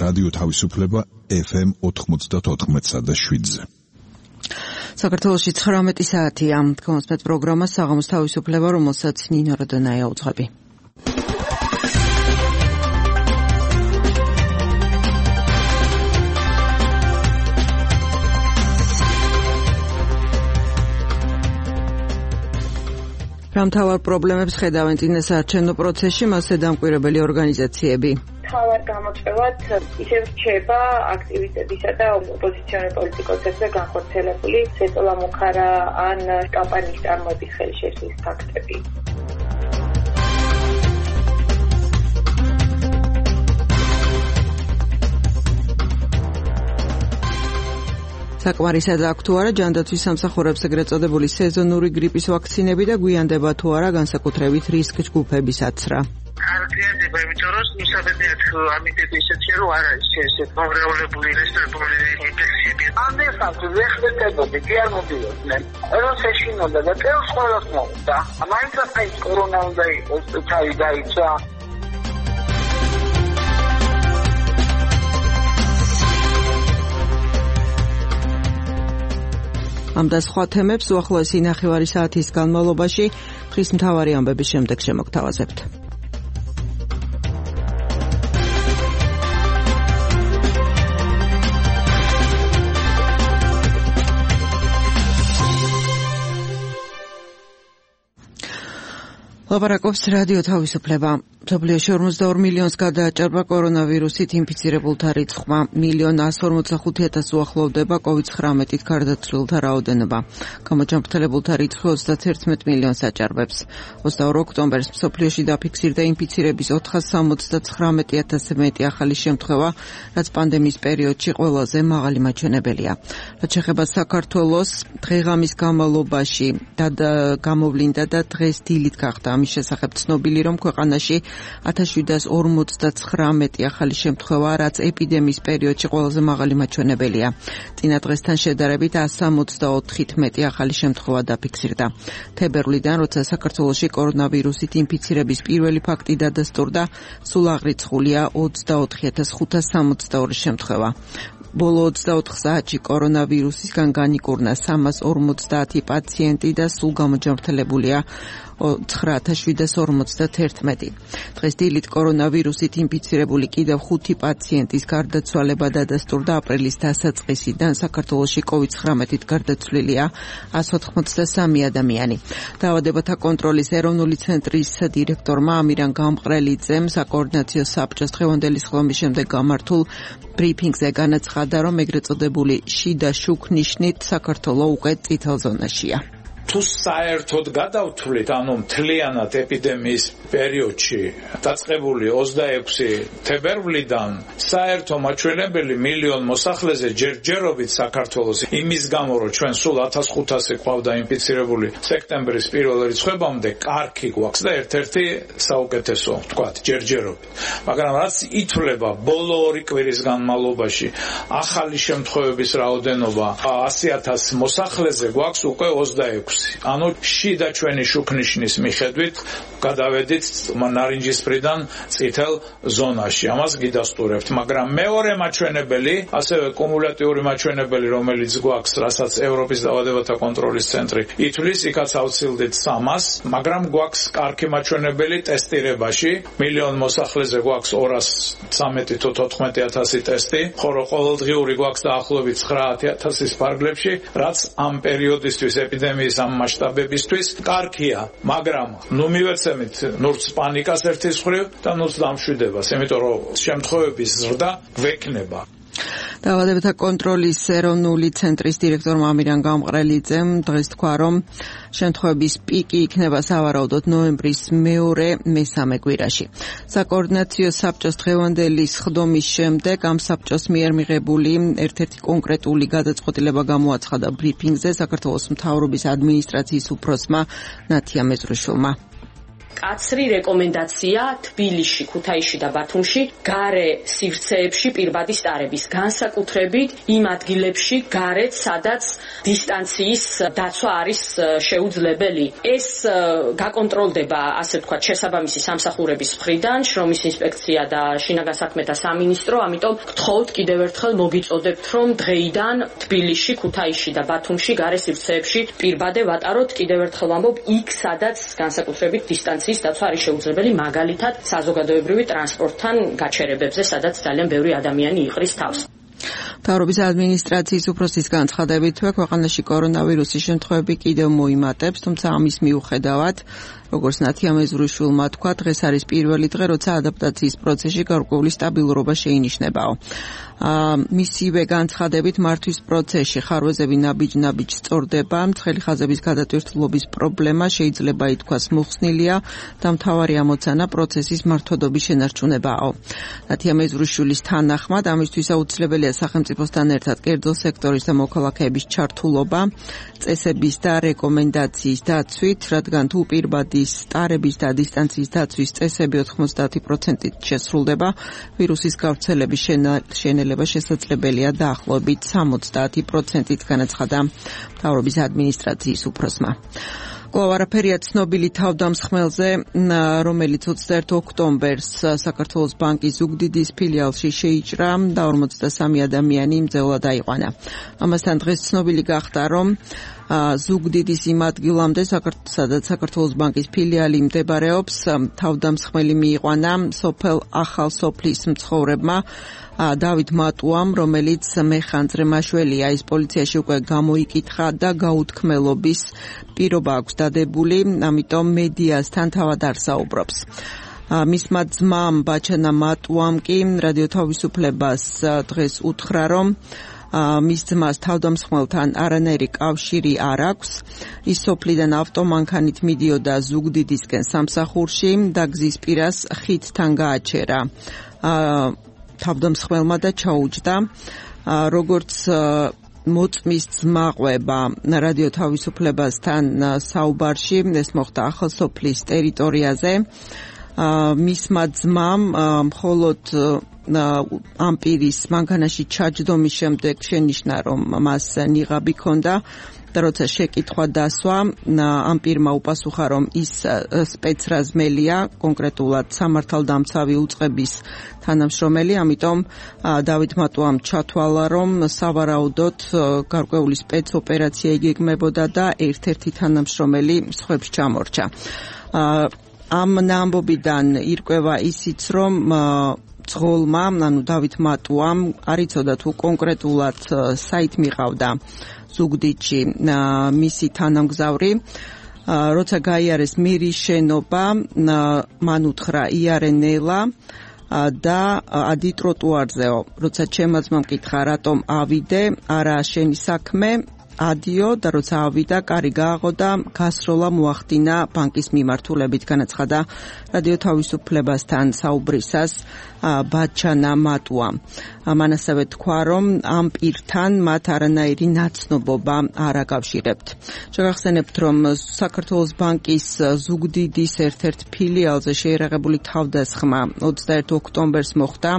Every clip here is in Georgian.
რადიო თავისუფლება FM 94.7-ზე. საქართველოში 19 საათია. კონსპეტ პროგრამა საღამოს თავისუფლება, რომელსაც ნინო როდონაია უძღვები. მთავარ პრობლემებს ხედავენ წინასაარჩევნო პროცესში მასზე დამკვირვებელი ორგანიზაციები. მთავარ გამოწვევად ისევ რჩება აქტივისტებისა და ოპოზიციონერ პოლიტიკოსებზე განხორციელებული სეწოლა-მოხარა ან კამპანიის წარმოების ხელშეშლის ფაქტები. საკმარისად აქ თუ არა ჯანდაცვის სამსახურებს ეგრეთ წოდებული სეზონური გრიპის ვაქცინები და გვიანდება თუ არა განსაკუთრებით რისკ ჯგუფების აცრა. არგიანდება, იმიტომ რომ მისაბედიათ ამიტები ისეთია, რომ არ არის ესეთ მომრევლებული რესპირატორული ინფექციები. ამერხავთ ვეხლებოდი, კი არ მოდიოდნენ. როცა შეშინოდა და წელს ყველას მოუწდა. მაინც ეს კორონა უნდა იყოს, თავი დაიცა. ამ და სხვა თემებს უახლოესი ნახევარი საათის განმავლობაში დღის მთავარი ამბების შემდეგ შემოგთავაზებთ. ლაპარაკობს რადიო თავისუფლება. მსოფლიოში 42 მილიონს გადააჭარბა კორონავირუსით ინფიცირებულთა რიცხვმა. 1,145,000 უახლოვდება COVID-19-ით გარდაცვლილთა რაოდენობა. გამოჯანმრთელებულთა რიცხვი 31 მილიონს აჭარბებს. 22 ოქტომბერს მსოფლიოში დაფიქსირდა ინფიცირების 479,000-ზე მეტი ახალი შემთხვევა, რაც პანდემიის პერიოდში ყველაზე მაღალი მაჩვენებელია. რაც შეეხება საქართველოს, დღე-ღამის განმავლობაში გამოვლინდა და დღეს დილით გახდა ამის შესახებ ცნობილი, რომ ქვეყანაში 1759 ახალი შემთხვევა, რაც ეპიდემიის პერიოდში ყველაზე მაღალი მაჩვენებელია. წინა დღესთან შედარებით 164-ით მეტი ახალი შემთხვევა დაფიქსირდა. თებერვლიდან, როცა საქართველოში კორონავირუსით ინფიცირების პირველი ფაქტი დადასტურდა, სულ აღრიცხულია 24,562 შემთხვევა. ბოლო 24 საათში კორონავირუსისგან განიკურნა 350 პაციენტი და სულ გამოჯანმრთელებულია 9751. დღეს დილით კორონავირუსით ინფიცირებული კიდევ 5 პაციენტის გარდაცვალება დადასტურდა. აპრილის დასაწყისიდან საქართველოში COVID-19-ით გარდაცვლილია 183 ადამიანი. დაავადებათა კონტროლის ეროვნული ცენტრის დირექტორმა ამირან გამყრელიძემ საკოორდინაციო საბჭოს დღევანდელი სხდომის შემდეგ გამართულ ბრიფინგზე განაცხადა, რომ ეგრეთ წოდებული შიდა შუქნიშნით საქართველო უკვე წითელ ზონაშია. თუ საერთოდ გადავთვლით, ანუ მთლიანად ეპიდემიის პერიოდში დაწყებული 26 თებერვლიდან საერთო მაჩვენებელი მილიონ მოსახლეზე ჯერჯერობით საქართველოს იმის გამო, რომ ჩვენ სულ 1500 ყავდა ინფიცირებული სექტემბრის პირველ რიცხვებამდე კარგი გვაქვს და ერთ-ერთი საუკეთესო, ვთქვათ, ჯერჯერობით. მაგრამ რაც ითვლება ბოლო 2 კვირის განმავლობაში ახალი შემთხვევების რაოდენობა 100,000 მოსახლეზე გვაქვს უკვე 26. ანუ შიდა ჩვენი შუქნიშნის მიხედვით გადავედით ნარინჯისფრიდან წითელ ზონაში. ამას გიდასტურებთ, მაგრამ მეორე მაჩვენებელი, ასევე კუმულატიური მაჩვენებელი, რომელიც გვაქვს, რასაც ევროპის დაავადებათა კონტროლის ცენტრი ითვლის, იქაც ავცილდით 300, მაგრამ გვაქვს კარგი მაჩვენებელი ტესტირებაში. მილიონ მოსახლეზე გვაქვს 213,000 ტესტი, ხოლო ყოველდღიური გვაქვს დაახლოებით 9,000 ფარგლებში, რაც ამ პერიოდისთვის ეპიდემიის ამ მასშტაბებისთვის კარგია, მაგრამ ნუ მივეცემით ნურც პანიკას ერთის მხრივ და ნურც დამშვიდებას, იმიტომ რომ შემთხვევების ზრდა გვექნება. დაავადებათა კონტროლის ეროვნული ცენტრის დირექტორმა ამირან გამყრელიძემ დღეს თქვა, რომ შემთხვევების პიკი იქნება სავარაუდოდ ნოემბრის მეორე-მესამე კვირაში. საკოორდინაციო საბჭოს დღევანდელი სხდომის შემდეგ ამ საბჭოს მიერ მიღებული ერთ-ერთი კონკრეტული გადაწყვეტილება გამოაცხადა ბრიფინგზე საქართველოს მთავრობის ადმინისტრაციის უფროსმა ნათია მეზრუშვილმა. მკაცრი რეკომენდაცია თბილისში, ქუთაისში და ბათუმში გარე სივრცეებში პირბადის ტარების, განსაკუთრებით იმ ადგილებში გარეთ, სადაც დისტანციის დაცვა არის შეუძლებელი. ეს გაკონტროლდება, ასე ვთქვათ, შესაბამისი სამსახურების მხრიდან, შრომის ინსპექცია და შინაგან საქმეთა სამინისტრო, ამიტომ გთხოვთ კიდევ ერთხელ მოგიწოდებთ, რომ დღეიდან თბილისში, ქუთაისში და ბათუმში გარე სივრცეებში პირბადე ვატაროთ, კიდევ ერთხელ ვამბობ, იქ სადაც განსაკუთრებით დისტანციის დაცვა არის შეუძლებელი, მაგალითად საზოგადოებრივი ტრანსპორტთან გაჩერებებზე, სადაც ძალიან ბევრი ადამიანი იყრის თავს. მთავრობის ადმინისტრაციის უფროსის განცხადებით, ქვეყანაში კორონავირუსის შემთხვევები კიდევ მოიმატებს, თუმცა ამის მიუხედავად, როგორც ნათია მეზურიშვილმა თქვა, დღეს არის პირველი დღე, როცა ადაპტაციის პროცესში გარკვეული სტაბილურობა შეინიშნებაო. მისივე განცხადებით, მართვის პროცესში ხარვეზები ნაბიჯ-ნაბიჯ სწორდება, ცხელი ხაზების გადატვირთულობის პრობლემა შეიძლება ითქვას მოხსნილია და მთავარი ამოცანა პროცესის მართვადობის შენარჩუნებაო. ნათია მეზურიშვილის თანახმად, ამისთვის აუცილებელია სახელმწიფოსთან ერთად კერძო სექტორის და მოქალაქეების ჩართულობა, წესების და რეკომენდაციის დაცვით, რადგან თუ პირბადის ტარების და დისტანციის დაცვის წესები 90%-ით შესრულდება, ვირუსის გავრცელების შენელება შესაძლებელია დაახლოებით 70%-ით, განაცხადა მთავრობის ადმინისტრაციის უფროსმა. კვლავ არაფერია ცნობილი თავდამსხმელზე, რომელიც 21 ოქტომბერს საქართველოს ბანკის ზუგდიდის ფილიალში შეიჭრა და 43 ადამიანი მძევლად აიყვანა. ამასთან დღეს ცნობილი გახდა, რომ ზუგდიდის იმ ადგილამდე, სადაც საქართველოს ბანკის ფილიალი მდებარეობს, თავდამსხმელი მიიყვანა სოფელ ახალ სოფლის მცხოვრებმა დავით მატუამ, რომელიც მეხანძრე მაშველია. ის პოლიციაში უკვე გამოიკითხა და გაუთქმელობის პირობა აქვს დადებული, ამიტომ მედიასთან თავად არ საუბრობს. მისმა ძმამ ბაჩანა მატუამ კი რადიო თავისუფლებას დღეს უთხრა, რომ მის ძმას თავდამსხმელთან არანაირი კავშირი არ აქვს. ის სოფლიდან ავტომანქანით მიდიოდა ზუგდიდისკენ სამსახურში და გზის პირას ხიდთან გააჩერა თავდამსხმელმა და ჩაუჯდა. როგორც მოწმის ძმა ყვება რადიო თავისუფლებასთან საუბარში, ეს მოხდა ახალსოფლის ტერიტორიაზე. მისმა ძმამ მხოლოდ ამ პირის მანქანაში ჩაჯდომის შემდეგ შენიშნა, რომ მას ნიღაბი ჰქონდა და როცა შეკითხვა დასვა, ამ პირმა უპასუხა, რომ ის სპეცრაზმელია, კონკრეტულად სამართალდამცავი უწყების თანამშრომელი, ამიტომ დავით მატუამ ჩათვალა, რომ სავარაუდოდ გარკვეული სპეცოპერაცია იგეგმებოდა და ერთ-ერთი თანამშრომელი სხვებს ჩამორჩა. ამ ამბობიდან ირკვევა ისიც, რომ ძღოლმა, ანუ დავით მატუამ არ იცოდა თუ კონკრეტულად საით მიყავდა ზუგდიდში მისი თანამგზავრი. როცა გაიარეს მირის შენობა, მან უთხრა იარენელა და ადი ტროტუარზეო. როცა ჩემმა ძმამ მკითხა, რატომ ავიდე, არა შენი საქმე, ადიო და როცა ავიდა, კარი გააღო და გასროლა მოახდინა ბანკის მიმართულებით, განაცხადა რადიო თავისუფლებასთან საუბრისას ბაჩანა მატუა. მან ასევე თქვა, რომ ამ პირთან მათ არანაირი ნაცნობობა არ აკავშირებთ. შეგახსენებთ, რომ საქართველოს ბანკის ზუგდიდის ერთ-ერთ ფილიალზე შეიარაღებული თავდასხმა 21 ოქტომბერს მოხდა.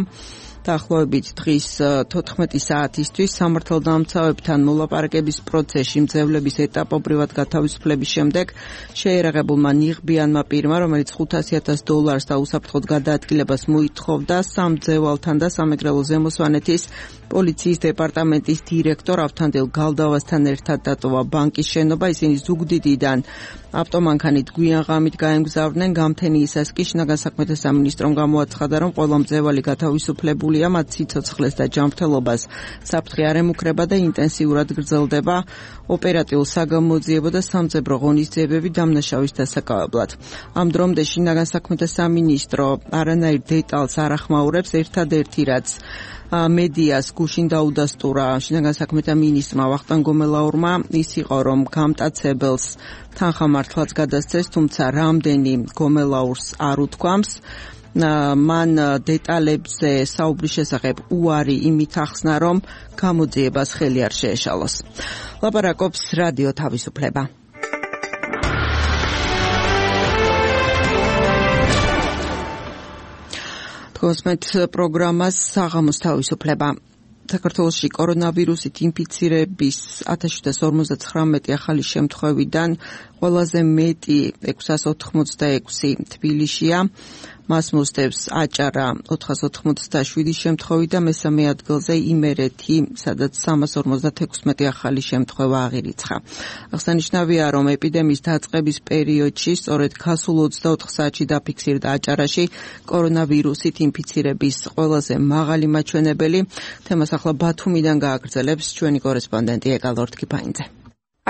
დაახლოებით დღის 14 საათისთვის სამართალდამცავებთან მოლაპარაკების პროცესში მძევლების ეტაპობრივად გათავისუფლების შემდეგ შეიარაღებულმა ნიღბიანმა პირმა, რომელიც $500,000 და უსაფრთხოდ გადაადგილებას მოითხოვდა სამძევალთან და სამეგრელო ზემოსვანეთის პოლიციის დეპარტამენტის დირექტორ ავთანდილ გალდავასთან ერთად დატოვა ბანკის შენობა. ისინი ზუგდიდიდან ავტომანქანით გვიან ღამით გაემგზავრნენ გამთენიისას კი შინაგან საქმეთა სამინისტრომ გამოაცხადა, რომ ყველა მძევალი გათავისუფლებულია, მათ სიცოცხლეს და ჯანმრთელობას საფრთხე არ ემუქრება და ინტენსიურად გრძელდება ოპერატიულ საგამოძიებო და სამძებრო ღონისძიებები დამნაშავის დასაკავებლად. ამ დრომდე შინაგან საქმეთა სამინისტრო არანაირ დეტალს არ ახმაურებს, ერთადერთი რაც მედიას გუშინ დაუდასტურა შინაგან საქმეთა მინისტრმა ვახტანგ გომელაურმა, ის იყო, რომ გამტაცებელს თანხამართლაც გადასცეს, თუმცა რამდენი გომელაურს არ უთქვამს. მან დეტალებზე საუბრის შესახებ უარი იმით ახსნა, რომ გამოძიებას ხელი არ შეეშალოს. ლაპარაკობს რადიო თავისუფლება. თქვენს პროგრამას საღამოს თავისუფლება. საქართველოში კორონავირუსით ინფიცირების 1759 ახალი შემთხვევიდან ყველაზე მეტი 686 თბილისშია. მას მოსდევს აჭარა 487 შემთხვევით და მესამე ადგილზე იმერეთი, სადაც 356 ახალი შემთხვევა აღირიცხა. აღსანიშნავია, რომ ეპიდემიის დაწყების პერიოდში სწორედ გასულ 24 საათში დაფიქსირდა აჭარაში კორონავირუსით ინფიცირების ყველაზე მაღალი მაჩვენებელი. თემას ახლა ბათუმიდან გააგრძელებს ჩვენი კორესპონდენტი ეკალორთ კიფაინძე.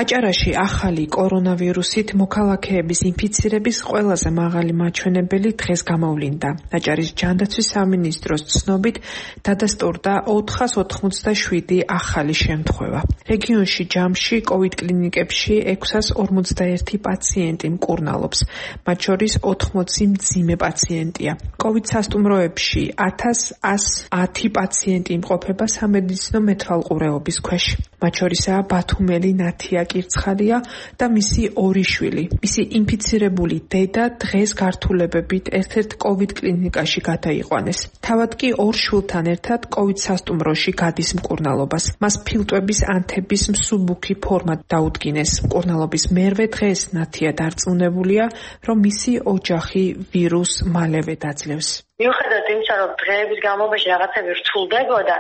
აჭარაში ახალი კორონავირუსით მოქალაქეების ინფიცირების ყველაზე მაღალი მაჩვენებელი დღეს გამოვლინდა. აჭარის ჯანდაცვის სამინისტროს ცნობით დადასტურდა 487 ახალი შემთხვევა. რეგიონში ჯამში COVID კლინიკებში 641 პაციენტი მკურნალობს, მათ შორის 80 მძიმე პაციენტია. COVID სასტუმროებში 1110 პაციენტი იმყოფება სამედიცინო მეთვალყურეობის ქვეშ. მათ შორისაა ბათუმელი ნათია კირცხალია და მისი ორი შვილი. მისი ინფიცირებული დედა დღეს გართულებებით ერთ-ერთ COVID კლინიკაში გადაიყვანეს. თავად კი ორ შვილთან ერთად COVID სასტუმროში გადის მკურნალობას. მას ფილტვების ანთების მსუბუქი ფორმა დაუდგინეს. მკურნალობის მერვე დღეს ნათია დარწმუნებულია, რომ მისი ოჯახი ვირუსს მალევე დაძლევს. მიუხედავად იმისა, რომ დღეების განმავლობაში რაღაცები რთულდებოდა,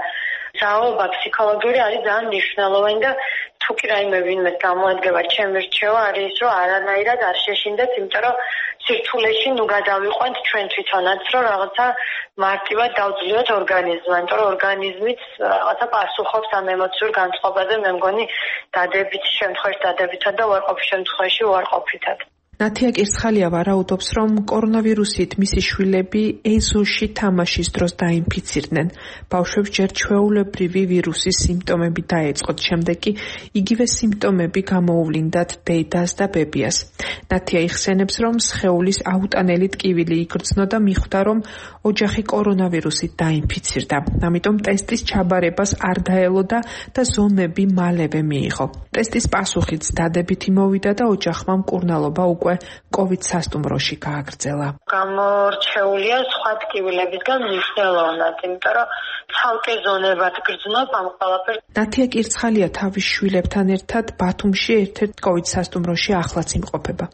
ძალაობა ფსიქოლოგიური არის ძალიან მნიშვნელოვანი და თუ კი რაიმე ვინმეს გამოადგება ჩემი რჩევა არის ის, რომ არანაირად არ შეშინდეთ, იმიტომ რომ სირთულეში გადავიყვანთ ჩვენ თვითონაც, რომ რაღაცა მარტივად დავძლიოთ ორგანიზმს, იმიტომ რომ ორგანიზმიც რაღაცა პასუხობს ამ ემოციურ განწყობაზე, მე მგონი დადებითი შემთხვევაში დადებითად და უარყოფით შემთხვევაში უარყოფითად. ნათია კირცხალია ვარაუდობს, რომ კორონავირუსით მისი შვილები ეზოში თამაშის დროს დაინფიცირდნენ. ბავშვებს ჯერ ჩვეულებრივი ვირუსის სიმპტომები დაეწყოთ, შემდეგ კი იგივე სიმპტომები გამოუვლინდათ დედას და ბებიას. ნათია იხსენებს, რომ სხეულის აუტანელი ტკივილი იგრძნო და მიხვდა, რომ ოჯახი კორონავირუსით დაინფიცირდა. ამიტომ ტესტის ჩაბარებას არ დაელოდა და ზომები მალევე მიიღო. ტესტის პასუხიც დადებითი მოვიდა და ოჯახმა მკურნალობა უკვე COVID სასტუმროში გააგრძელა. გამორჩეულია სხვა ტკივილებისგან მნიშვნელოვნად, იმიტომ რომ ცალკე ზონებად გრძნობ ამ ყველაფერს. ნათია კირცხალია თავის შვილებთან ერთად ბათუმში ერთ-ერთ COVID სასტუმროში ახლაც იმყოფება.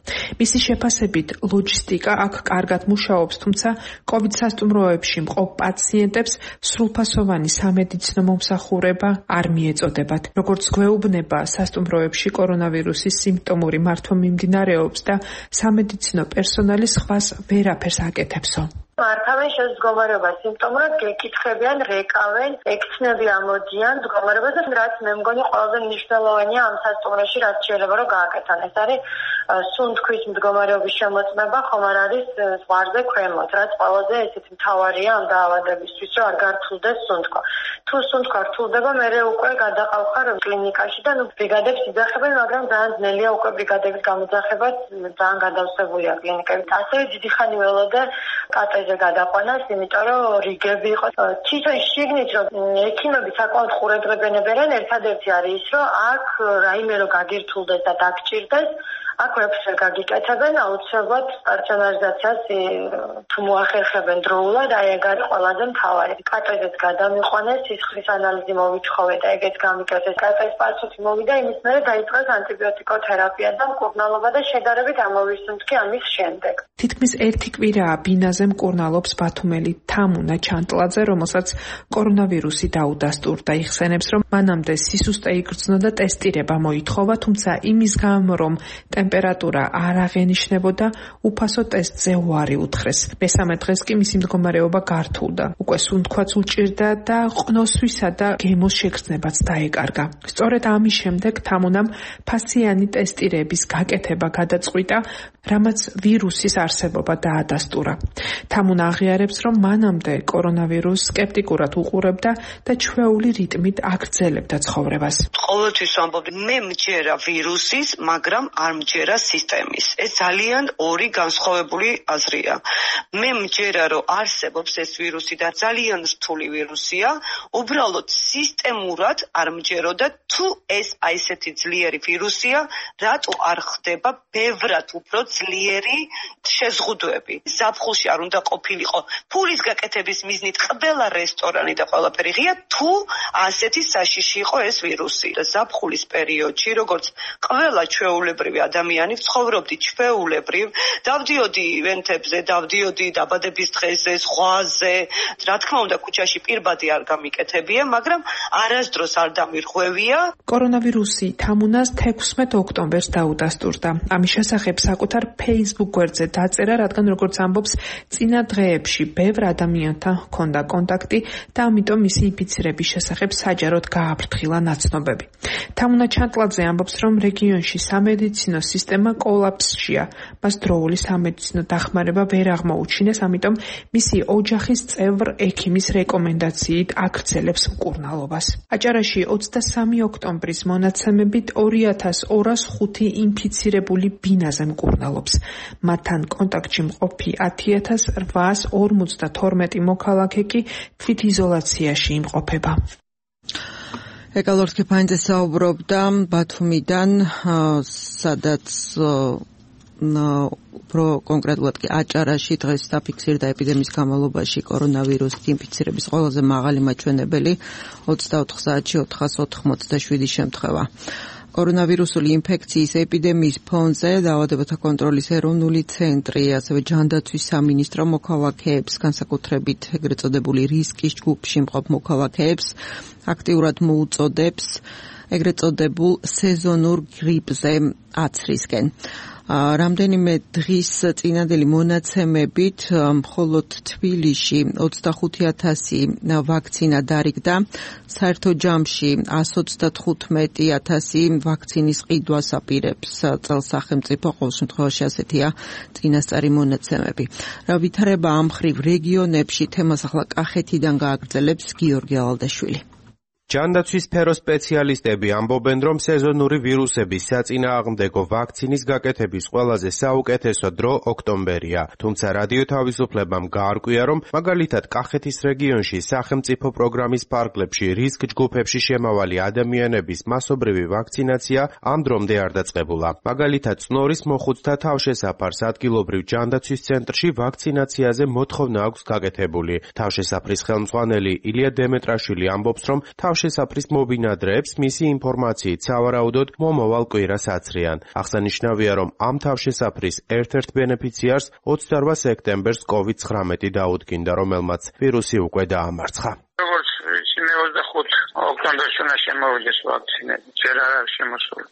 მისი შეფასებით ლოჯისტიკა აქ კარგად მუშაობს, თუმცა COVID სასტუმროებში მყოფ პაციენტებს სრულფასოვანი სამედიცინო მომსახურება არ მიეწოდებათ. როგორც გვეუბნება, სასტუმროებში კორონავირუსის სიმპტომური მართვა მიმდინარეობს და სამედიცინო პერსონალი სხვას ვერაფერს აკეთებსო. მართავენ შეს მდგომარეობა სიმპტომურად გეკითხებიან, რეკავენ, ექცნები ამოდიან მდგომარეობას, რაც მე მგონი ყველაზე მნიშვნელოვანია ამ სასტუმროში, რაც შეიძლება რომ გააკეთონ. ეს არის სუნთქვის მდგომარეობის შემოწმება, ხომ არ არის ზღვარზე ქვემოთ, რაც ყველაზე ესეთი მთავარია ამ დაავადებისთვის, რომ არ გართულდეს სუნთქვა. თუ სუნთქვა რთულდება, მერე უკვე გადაყავხარ კლინიკაში და ბრიგადებს იძახებენ, მაგრამ ძალიან ძნელია უკვე ბრიგადების გამოძახება, ძალიან გადავსებულია კლინიკებით. ასევე დიდი ხანი ველოდა კატეზე გადაყვანას, იმიტომ რომ რიგები იყო. თვითონ შიგნით რომ ექიმები საკმაოდ ყურადღებენ, ერთადერთი არის ის, რომ აქ რაიმე რომ გაგირთულდეს და დაგჭირდეს, აქ ვერაფერს გაგიკეთებენ, აუცილებლად სტაციონარიზაციას თუ მოახერხებენ დროულად, აი ეგ არის ყველაზე მთავარი. კატეზეც გადამიყვანეს, სისხლის ანალიზი მოვითხოვე და ეგეც გამიკეთეს. კატეზ პასუხი მოვიდა, იმის მერე დაიწყეს ანტიბიოტიკოთერაპია და მკურნალობა და შედარებით ამოვისუნთქი ამის შემდეგ. თითქმის ერთი კვირაა ბინაზე მკურნალობს ბათუმელი თამუნა ჩანტლაძე, რომელსაც კორონავირუსი დაუდასტურდა. იხსენებს, რომ მანამდე სისუსტე იგრძნო და ტესტირება მოითხოვა, თუმცა იმის გამო, რომ ტემპერატურა არ აღენიშნებოდა, უფასო ტესტზე უარი უთხრეს. მესამე დღეს კი მისი მდგომარეობა გართულდა. უკვე სუნთქვაც უჭირდა და ყნოსვისა და გემოს შეგრძნებაც დაეკარგა. სწორედ ამის შემდეგ თამუნამ ფასიანი ტესტირების გაკეთება გადაწყვიტა, რამაც ვირუსის არსებობა დაადასტურა. თამუნა აღიარებს, რომ მანამდე კორონავირუსს სკეპტიკურად უყურებდა და ჩვეული რიტმით აგრძელებდა ცხოვრებას. ყოველთვის ვამბობ, მე მჯერა ვირუსის, მაგრამ არ მჯერა სისტემის. ეს ძალიან ორი განსხვავებული აზრია. მე მჯერა, რომ არსებობს ეს ვირუსი და ძალიან რთული ვირუსია, უბრალოდ სისტემურად არ მჯეროდა, თუ ეს აი ესეთი ძლიერი ვირუსია, რატო არ ხდება ბევრად უფრო ძლიერი შეზღუდვები. ზაფხულში არ უნდა ყოფილიყო ფულის გაკეთების მიზნით ყველა რესტორანი და ყველაფერი ღია, თუ ასეთი საშიში იყო ეს ვირუსი. ზაფხულის პერიოდში, როგორც ყველა ჩვეულებრივი ადამიანი ცხოვრობდი ჩვეულებრივ, დავდიოდი ივენთებზე, დავდიოდი დაბადების დღეზე, ზღვაზე, რა თქმა უნდა ქუჩაში პირბადი არ გამიკეთებია, მაგრამ არასდროს არ დამირღვევია. კორონავირუსი თამუნას 16 ოქტომბერს დაუდასტურდა. ამის შესახებ საკუთარ Facebook გვერდზე დაწერა, რადგან როგორც ამბობს, წინა დღეებში ბევრ ადამიანთან ჰქონდა კონტაქტი და ამიტომ მისი ინფიცირების შესახებ საჯაროდ გააფრთხილა ნაცნობები. თამუნა ჩანტლაძე ამბობს, რომ რეგიონში სამედიცინო სისტემა კოლაფსშია. მას დროული სამედიცინო დახმარება ვერ აღმოუჩინეს, ამიტომ მისი ოჯახის წევრ ექიმის რეკომენდაციით აქცელებს მკურნალობას. აჭარაში 23 ოქტომბრის მონაცემებით 2205 ინფიცირებული ბინაზე მკურნალობს. მათთან კონტაქტში მყოფი 10852 მოქალაქე კი თვითიზოლაციაში იმყოფება. ეკალორს კეფანიძე საუბრობდა ბათუმიდან, სადაც კონკრეტულად კი აჭარაში დღეს დაფიქსირდა ეპიდემიის განმავლობაში კორონავირუსით ინფიცირების ყველაზე მაღალი მაჩვენებელი 24 საათში 487 შემთხვევა. კორონავირუსული ინფექციის ეპიდემიის ფონზე დაავადებათა კონტროლის ეროვნული ცენტრი, ასევე ჯანდაცვის სამინისტრო მოქალაქეებს, განსაკუთრებით ეგრეთ წოდებული რისკის ჯგუფში მყოფ მოქალაქეებს აქტიურად მოუწოდებს ეგრეთ წოდებულ სეზონურ გრიპზე აცრისკენ. რამდენიმე დღის წინანდელი მონაცემებით მხოლოდ თბილისში 25000 ვაქცინა დარიგდა, საერთო ჯამში 135,000 ვაქცინის ყიდვას აპირებს წელს სახელმწიფო, ყოველ შემთხვევაში ასეთია წინასწარი მონაცემები. რა ვითარება ამ მხრივ რეგიონებში, თემას ახლა კახეთიდან გააგრძელებს გიორგი ალალდაშვილი. ჯანდაცვის სფეროს სპეციალისტები ამბობენ, რომ სეზონური ვირუსების საწინააღმდეგო ვაქცინის გაკეთების ყველაზე საუკეთესო დრო ოქტომბერია. თუმცა რადიო თავისუფლებამ გაარკვია, რომ მაგალითად კახეთის რეგიონში სახელმწიფო პროგრამის ფარგლებში რისკ ჯგუფებში შემავალი ადამიანების მასობრივი ვაქცინაცია ამ დრომდე არ დაწყებულა. მაგალითად, წნორის მოხუცთა თავშესაფარს ადგილობრივ ჯანდაცვის ცენტრში ვაქცინაციაზე მოთხოვნა აქვს გაკეთებული. თავშესაფრის ხელმძღვანელი ილია დემეტრაშვილი ამბობს, რომ თავშესაფრის მობინადრეებს მისი ინფორმაციით სავარაუდოდ მომავალ კვირას აცრიან. აღსანიშნავია, რომ ამ თავშესაფრის ერთ-ერთ ბენეფიციარს 28 სექტემბერს COVID-19 დაუდგინდა, რომელმაც ვირუსი უკვე დაამარცხა. როგორც ვიცი, 25 ოქტომბერში უნდა შემოვიდეს ვაქცინები. ჯერ არ არის შემოსული.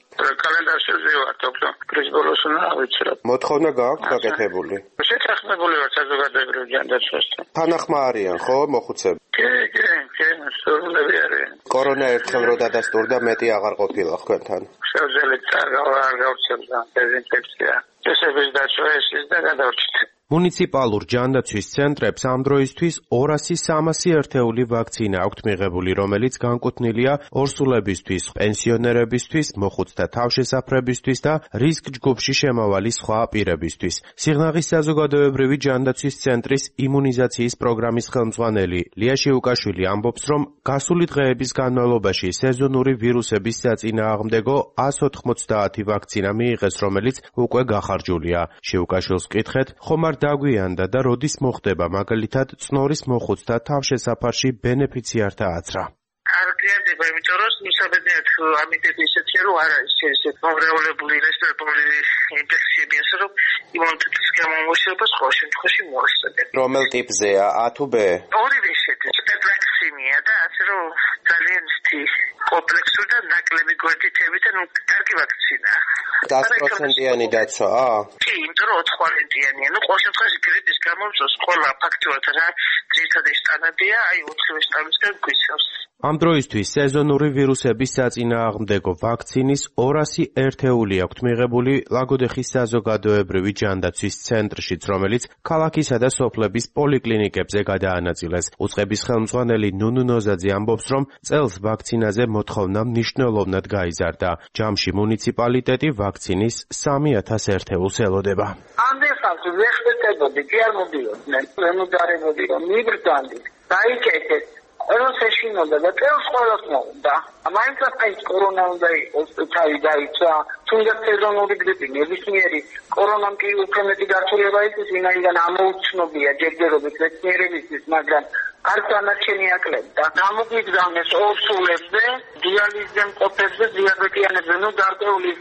კალენდარში ვზივართ, ოქტომბრის ბოლოს უნდა ავიცროთ. მოთხოვნა გააქვთ გაკეთებული? შეთანხმებული ვარ საზოგადოებრივ ჯანდაცვასთან. თანახმა არიან, ხო, მოხუცები? კი, სრულები არიან. კორონა ერთხელ რო დადასტურდა, მეტი აღარ ყოფილა თქვენთან. შევძელით არ გავცემდა დეზინფექცია. წესების დაცვა ესის და გადავრჩით. მუნიციპალურ ჯანდაცვის ცენტრებს ამ დროისთვის 200-300 ერთეული ვაქცინა აქვთ მიღებული, რომელიც განკუთვნილია ორსულებისთვის, პენსიონერებისთვის, მოხუცთა თავშესაფრებისთვის და რისკ ჯგუფში შემავალი სხვა პირებისთვის. სიღნაღის საზოგადოებრივი ჯანდაცვის ცენტრის იმუნიზაციის პროგრამის ხელმძღვანელი ლია შიუკაშვილი ამბობს, რომ გასული დღეების განმავლობაში სეზონური ვირუსების საწინააღმდეგო 190 ვაქცინა მიიღეს, რომელიც უკვე გახარჯულია. შიუკაშვილს ვკითხეთ, ხომ არ დაგვიანდა და როდის მოხდება მაგალითად წნორის მოხუცთა თავშესაფარში ბენეფიციართა აცრა? არ გიარდება, იმიტომ რომ მისაბედნიერად ამიტები ისეთია, რომ არ არის ესეთ მომრევლებული რესპირატორული ინფექციები, ასე რომ იმუნიტეტის გამომოშებას ყოველ შემთხვევაში მოახსენებ. რომელ ტიპზეა, A თუ B? ორივე შედის, ვაქცინია და ასე რომ ძალიან კომპლექსური და ნაკლები გვერდითებით, კარგი ვაქცინაა. 100%-იანი დაცვაა? კი, იმიტომ რომ 4-იანია. ყოველ შემთხვევაში გრიპის გამომწვევს ყველა ფაქტორად რა ძირითადი შტამებია, 4 შტამისგან გვიცავს. ამ დროისთვის სეზონური ვირუსების საწინააღმდეგო ვაქცინის 200 ერთეული აქვთ მიღებული ლაგოდეხის საზოგადოებრივი ჯანდაცვის ცენტრშიც, რომელიც ქალაქისა და სოფლების პოლიკლინიკებზე გადაანაწილეს. უწყების ხელმძღვანელი ნუნუ ნოზაძე ამბობს, რომ წელს ვაქცინაზე მოთხოვნა მნიშვნელოვნად გაიზარდა. ჯამში მუნიციპალიტეტი ვაქცინის 3000 ერთეულს ელოდება. ამდენხანს ვერ ხდებოდი, კი არ მოდიოდნენ. ვერ მოდარებოდი, რომ მიბრძანდი. დაიკეთეთ როს ეშინოდა და წელს ყველას მოუნდა. მაინც ეს კორონა უნდა იყოს თავი დაიცვა. თუნდაც სეზონური გრიპი, ნებისმიერი კორონამ კი უფრო მეტი გართულება ის ვინაიდან ამოუცნობია ჯერჯერობით მეცნიერებისთვის, მაგრამ არც ანარჩენი აკლებდა. გამოგვიგზავნეს ორსულებზე, დიალიზზე მყოფებზე, დიაბეტიანებზე, გარკვეული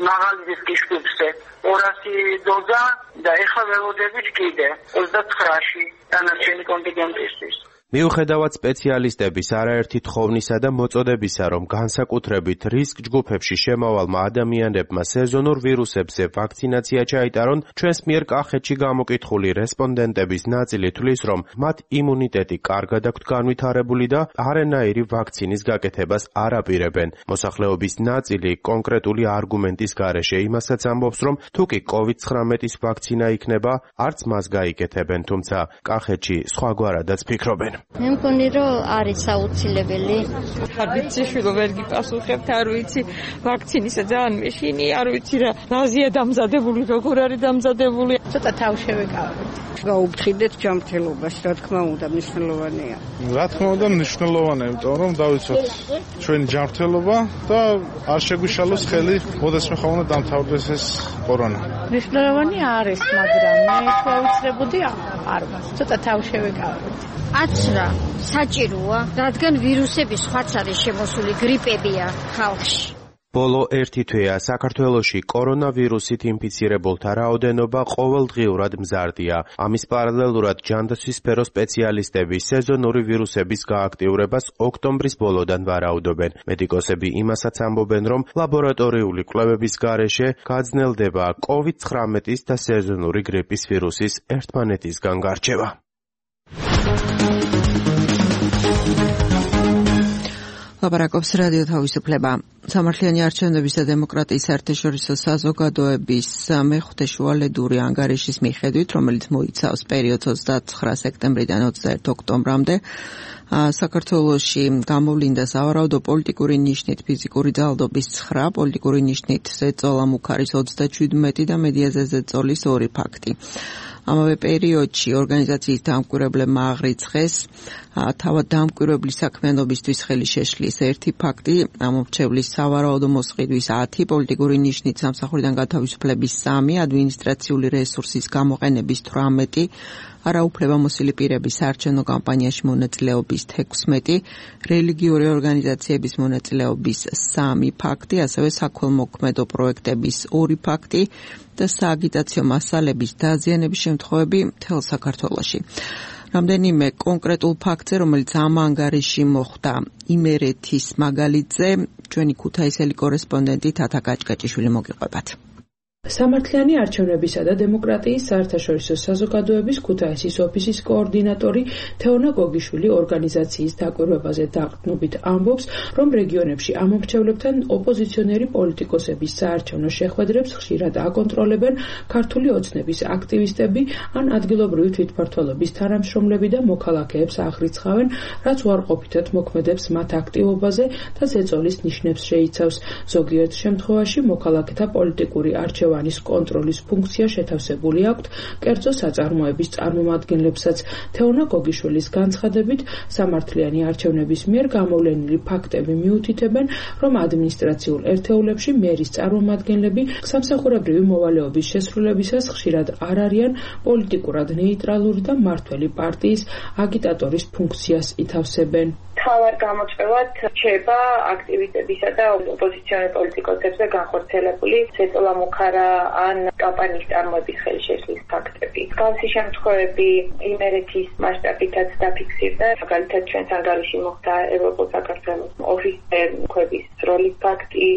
მაღალი რისკის ჯგუფზე 200 დოზა და ეხლა ველოდებით კიდე 29-ში დანარჩენი კონტინგენტისთვის. მიუხედავად სპეციალისტების არაერთი თხოვნისა და მოწოდებისა, რომ განსაკუთრებით რისკ ჯგუფებში შემავალმა ადამიანებმა სეზონურ ვირუსებზე ვაქცინაცია ჩაიტარონ, ჩვენს მიერ კახეთში გამოკითხული რესპონდენტების ნაწილი თვლის, რომ მათ იმუნიტეტი კარგად აქვთ განვითარებული და არანაირი ვაქცინის გაკეთებას არ აპირებენ. მოსახლეობის ნაწილი კონკრეტული არგუმენტის გარეშე იმასაც ამბობს, რომ თუ კი COVID-19-ის ვაქცინა იქნება, არც მას გაიკეთებენ, თუმცა კახეთში სხვაგვარადაც ფიქრობენ. მე მგონი რომ არის აუცილებელი. არ ვიცი შვილო ვერ გიპასუხებთ, არ ვიცი ვაქცინისა ძალიან მეშინი, არ ვიცი რაზეა დამზადებული, როგორ არის დამზადებული. ცოტა თავშევეკავოთ. გაუფრთხილდეთ ჯანმრთელობას, რა თქმა უნდა, მნიშვნელოვანია. რა თქმა უნდა, მნიშვნელოვანია, იმიტომ რომ დავიცვათ ჩვენი ჯანმრთელობა და არ შეგვიშალოს ხელი, ოდესმე ხომ უნდა დამთავრდეს ეს კორონა. მნიშვნელოვანი არის, მაგრამ მე შეუძლებოდი არ ვარ. ცოტა თავშევეკავოთ. აცრა საჭიროა, რადგან ვირუსები სხვაც არის შემოსული, გრიპებია ხალხში. ბოლო ერთი თვეა საქართველოში კორონავირუსით ინფიცირებულთა რაოდენობა ყოველდღიურად მზარდია. ამის პარალელურად ჯანდაცვის სფეროს სპეციალისტები სეზონური ვირუსების გააქტიურებას ოქტომბრის ბოლოდან ვარაუდობენ. მედიკოსები იმასაც ამბობენ, რომ ლაბორატორიული კვლევების გარეშე გაძნელდება COVID-19-ის და სეზონური გრიპის ვირუსის ერთმანეთისგან გარჩევა. ლაპარაკობს რადიო თავისუფლება. სამართლიანი არჩევნების და დემოკრატიის საერთაშორისო საზოგადოების მეხუთე შუალედური ანგარიშის მიხედვით, რომელიც მოიცავს პერიოდს 29 სექტემბრიდან 21 ოქტომბრამდე, საქართველოში გამოვლინდა სავარაუდო პოლიტიკური ნიშნით ფიზიკური ძალადობის 9, პოლიტიკური ნიშნით ზეწოლა მუქარის 37 და მედიაზე ზეწოლის 2 ფაქტი. ამავე პერიოდში ორგანიზაციის დამკვირვებლებმა აღრიცხეს თავად დამკვირვებლის საქმიანობისთვის ხელი შეშლის 1 ფაქტი, ამორჩევლის სავარაუდო მოსყიდვის 10, პოლიტიკური ნიშნით სამსახურიდან გათავისუფლების 3, ადმინისტრაციული რესურსის გამოყენების 18, არაუფლებამოსილი პირების საარჩევნო კამპანიაში მონაწილეობის 16, რელიგიური ორგანიზაციების მონაწილეობის 3 ფაქტი, ასევე საქველმოქმედო პროექტების 2 ფაქტი და სააგიტაციო მასალების დაზიანების შემთხვევები მთელ საქართველოში. რამდენიმე კონკრეტულ ფაქტზე, რომელიც ამ ანგარიში მოხდა იმერეთის მაგალითზე, ჩვენი ქუთაისელი კორესპონდენტი თათა კაჭკაჭიშვილი მოგიყვებათ. სამართლიანი არჩევნებისა და დემოკრატიის საერთაშორისო საზოგადოების ქუთაისის ოფისის კოორდინატორი თეონა გოგიშვილი ორგანიზაციის დაკვირვებაზე დაყრდნობით ამბობს, რომ რეგიონებში ამომრჩევლებთან ოპოზიციონერი პოლიტიკოსების საარჩევნო შეხვედრებს ხშირად აკონტროლებენ ქართული ოცნების აქტივისტები ან ადგილობრივი თვითმმართველობის თანამშრომლები და მოქალაქეებს აღრიცხავენ, რაც უარყოფითად მოქმედებს მათ აქტივობაზე და ზეწოლის ნიშნებს შეიცავს. ზოგიერთ შემთხვევაში მოქალაქეთა პოლიტიკური არჩევანი კონტროლის ფუნქცია შეთავსებული აქვთ კერძო საწარმოების წარმომადგენლებსაც. თეონა გოგიშვილის განცხადებით, სამართლიანი არჩევნების მიერ გამოვლენილი ფაქტები მიუთითებენ, რომ ადმინისტრაციულ ერთეულებში მერის წარმომადგენლები სამსახურებრივი მოვალეობის შესრულებისას ხშირად არ არიან პოლიტიკურად ნეიტრალური და მმართველი პარტიის აგიტატორის ფუნქციას ითავსებენ. თავარ გამოწვევად რჩება აქტივისტებისა და ოპოზიციონერ პოლიტიკოსებზე განხორციელებული ზეწოლა მუქარა ან კამპანიის წარმოების ხელშეშლის ფაქტები. მსგავსი შემთხვევები იმერეთის მასშტაბითაც დაფიქსირდა. მაგალითად, ჩვენს ანგარიში მოხდა ევროპულ საქართველოს ოფისზე მუქების როლის ფაქტი,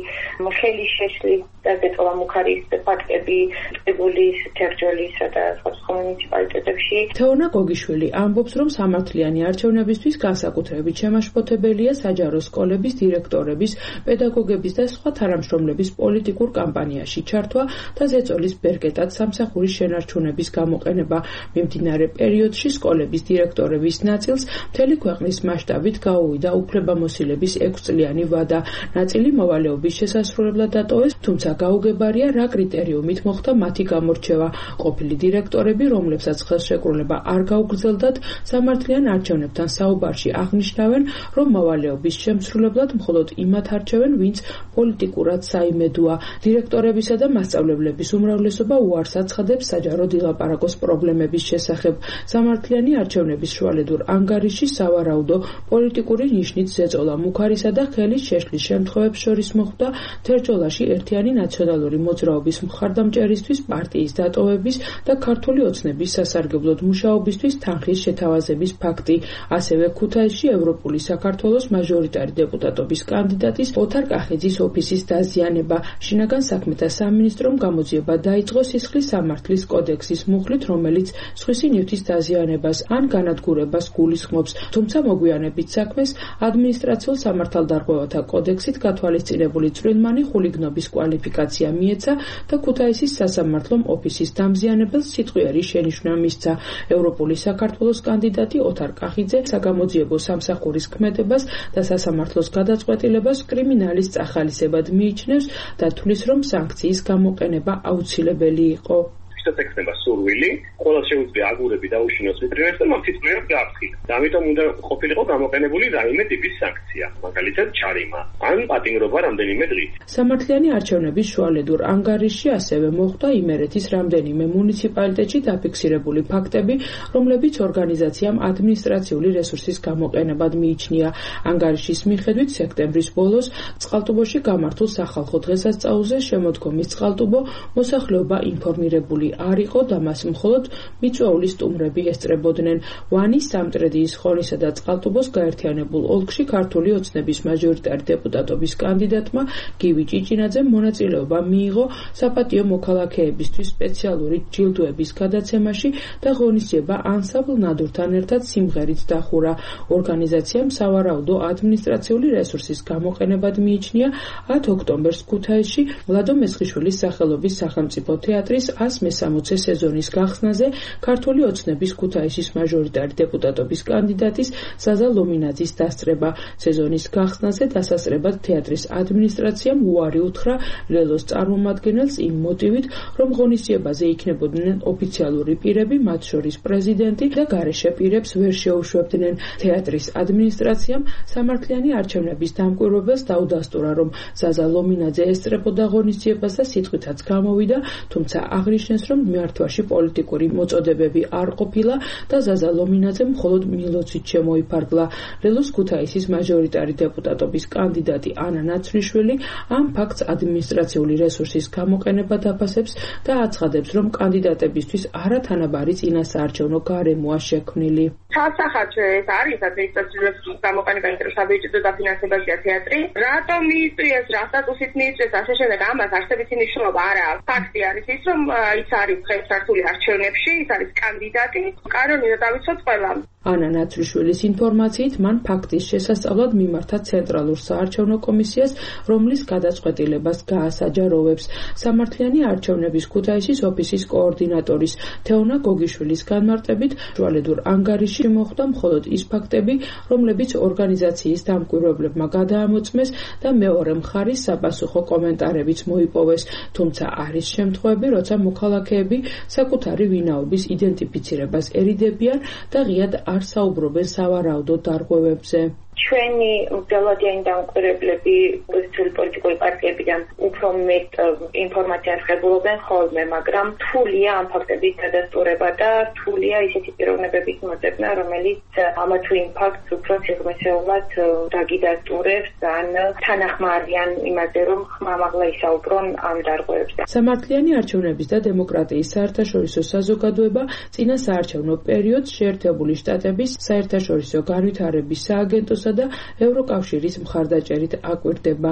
ხელშეშლის და ზეწოლა მუქარის ფაქტები ტყიბულის, თერჯოლისა და სხვა მუნიციპალიტეტებში. თეონა გოგიშვილი ამბობს, რომ სამართლიანი არჩევნებისთვის განსაკუთრებით დამაშფოთებელია საჯარო სკოლების დირექტორების, პედაგოგების და სხვა თანამშრომლების პოლიტიკურ კამპანიაში ჩართვა და ზეწოლის ბერკეტად სამსახურის შენარჩუნების გამოყენება. მიმდინარე პერიოდში სკოლების დირექტორების ნაწილს მთელი ქვეყნის მასშტაბით გაუვიდა უფლებამოსილების 6 წლიანი ვადა. ნაწილი მოვალეობის შესასრულებლად დატოვეს, თუმცა გაუგებარია რა კრიტერიუმით მოხდა მათი გამორჩევა. ყოფილი დირექტორები, რომლებსაც ხელშეკრულება არ გაუგრძელდათ, სამართლიან არჩევნებთან საუბარში აღნიშნავენ, რომ მოვალეობის შემსრულებლად მხოლოდ იმათ არჩევენ, ვინც პოლიტიკურად საიმედოა. დირექტორებისა და მასწავლებლების უმრავლესობა უარს აცხადებს საჯარო დილაპარაკოს პრობლემების შესახებ. სამართლიანი არჩევნების შუალედურ ანგარიში სავარაუდო პოლიტიკური ნიშნით ზეწოლა მუქარისა და ხელის შეშლის შემთხვევებს შორის მოხვდა თერჯოლაში ერთიანი ნაციონალური მოძრაობის მხარდამჭერისთვის პარტიის დატოვების და ქართული ოცნების სასარგებლოდ მუშაობისთვის თანხის შეთავაზების ფაქტი. ასევე ქუთაისში ევროპული საქართველოს მაჟორიტარი დეპუტატობის კანდიდატის ოთარ კახიძის ოფისის დაზიანება. შინაგან საქმეთა სამინისტრომ გამოძიება დაიწყო სისხლის სამართლის კოდექსის მუხლით, რომელიც სხვისი ნივთის დაზიანებას ან განადგურებას გულისხმობს, თუმცა მოგვიანებით საქმეს ადმინისტრაციულ სამართალდარღვევათა კოდექსით გათვალისწინებული წვრილმანი ხულიგნობის კვალიფიკაცია მიეცა და ქუთაისის სასამართლომ ოფისის დამზიანებელს სიტყვიერი შენიშვნა მისცა. ევროპული საქართველოს კანდიდატი ოთარ კახიძე საგამოძიებო სამსახურის ქმედებას და სასამართლოს გადაწყვეტილებას კრიმინალის წახალისებად მიიჩნევს და თვლის, რომ საანქციის გამოყენება აუცილებელი იყო. შეთანხმება სურვილი, ყველა შეუძლია აგურები დაუშინოს ვიტრინებს და მათ სიტყვიერად გააფრთხილოს. და ამიტომ უნდა ყოფილიყო გამოყენებული რაიმე ტიპის სანქცია, მაგალითად ჯარიმა ან პატიმრობა რამდენიმე დღით. სამართლიანი არჩევნების შუალედურ ანგარიში ასევე მოხვდა იმერეთის რამდენიმე მუნიციპალიტეტში დაფიქსირებული ფაქტები, რომლებიც ორგანიზაციამ ადმინისტრაციული რესურსის გამოყენებად მიიჩნია. ანგარიშის მიხედვით სექტემბრის ბოლოს წყალტუბოში გამართულ სახალხო დღესასწაულზე შემოდგომის წყალტუბო მოსახლეობა ინფორმირებული არ იყო და მას მხოლოდ მიწვეული სტუმრები ესწრებოდნენ. ვანის, სამტრედიის, ხონისა და წყალტუბოს გაერთიანებულ ოლქში ქართული ოცნების მაჟორიტარი დეპუტატობის კანდიდატმა გივი ჭიჭინაძემ მონაწილეობა მიიღო საპატიო მოქალაქეებისთვის სპეციალური ჯილდოების გადაცემაში და ღონისძიება ანსამბლ ნადურთან ერთად სიმღერით დახურა. ორგანიზაციამ სავარაუდო ადმინისტრაციული რესურსის გამოყენებად მიიჩნია 10 ოქტომბერს ქუთაისში ვლადო მესხიშვილის სახელობის სახელმწიფო თეატრის 160 სეზონის გახსნაზე ქართული ოცნების ქუთაისის მაჟორიტარი დეპუტატობის კანდიდატის ზაზა ლომინაძის დასწრება. სეზონის გახსნაზე დასასწრებად თეატრის ადმინისტრაციამ უარი უთხრა ლელოს წარმომადგენელს იმ მოტივით, რომ ღონისძიებაზე იქნებოდნენ ოფიციალური პირები, მათ შორის პრეზიდენტი და გარეშე პირებს ვერ შეუშვებდნენ. თეატრის ადმინისტრაციამ სამართლიანი არჩევნების დამკვირვებელს დაუდასტურა, რომ ზაზა ლომინაძე ესწრებოდა ღონისძიებას და სიტყვითაც გამოვიდა, თუმცა აღნიშნეს, რომ მმართველში პოლიტიკური მოწოდებები არ ყოფილა და ზაზა ლომინაძემ მხოლოდ მილოცით შემოიფარგლა. ლელოს ქუთაისის მაჟორიტარი დეპუტატობის კანდიდატი ანა ნაცვლიშვილი ამ ფაქტს ადმინისტრაციული რესურსის გამოყენება დაფასებს და აცხადებს, რომ კანდიდატებისთვის არათანაბარი წინასაარჩევნო გარემოა შექმნილი. სასახარჯო ეს არის ადმინისტრაციული რესურსის გამოყენება, იმიტომ საბიუჯეტო დაფინანსებაშია თეატრი. რატომ მიიწვიეს, რა სტატუსით მიიწვიეს, ასე შემდეგ, ამას არსებითი მნიშვნელობა არ აქვს. ფაქტი არის ის, რომ ის არის ხელსართული არჩევნებში, ის არის კანდიდატი. კანონი დავიცოთ ყველამ. ანა ნაცვლიშვილის ინფორმაციით, მან ფაქტის შესასწავლად მიმართა ცენტრალურ საარჩევნო კომისიას, რომლის გადაწყვეტილებას გაასაჯაროვებს. სამართლიანი არჩევნების ქუთაისის ოფისის კოორდინატორის თეონა გოგიშვილის განმარტებით, შუალედურ ანგარიში მოხვდა მხოლოდ ის ფაქტები, რომლებიც ორგანიზაციის დამკვირვებლებმა გადაამოწმეს და მეორე მხარის საპასუხო კომენტარებიც მოიპოვეს. თუმცა არის შემთხვევები, როცა მოქალაქეები საკუთარი ვინაობის იდენტიფიცირებას ერიდებიან და ღიად არ საუბრობენ სავარაუდო დარღვევებზე. ჩვენი მდელოდიანი დამკვირვებლები ოპოზიციური პოლიტიკური პარტიებიდან უფრო მეტ ინფორმაციას ღებულობენ ხოლმე, მაგრამ რთულია ამ ფაქტების დადასტურება და რთულია ისეთი პიროვნებების მოწებნა, რომელიც ამა თუ იმ ფაქტს უფრო სიღრმისეულად დაგიდასტურებს ან თანახმარიან იმაზე, რომ ხმამაღლა ისაუბრონ ამ დარღვევებზე. სამართლიანი არჩევნების და დემოკრატიის საერთაშორისო საზოგადოება წინა საარჩევნო პერიოდს შეერთებული შტატების საერთაშორისო განვითარების სააგენტოსა და ევროკავშირის მხარდაჭერით აკვირდება.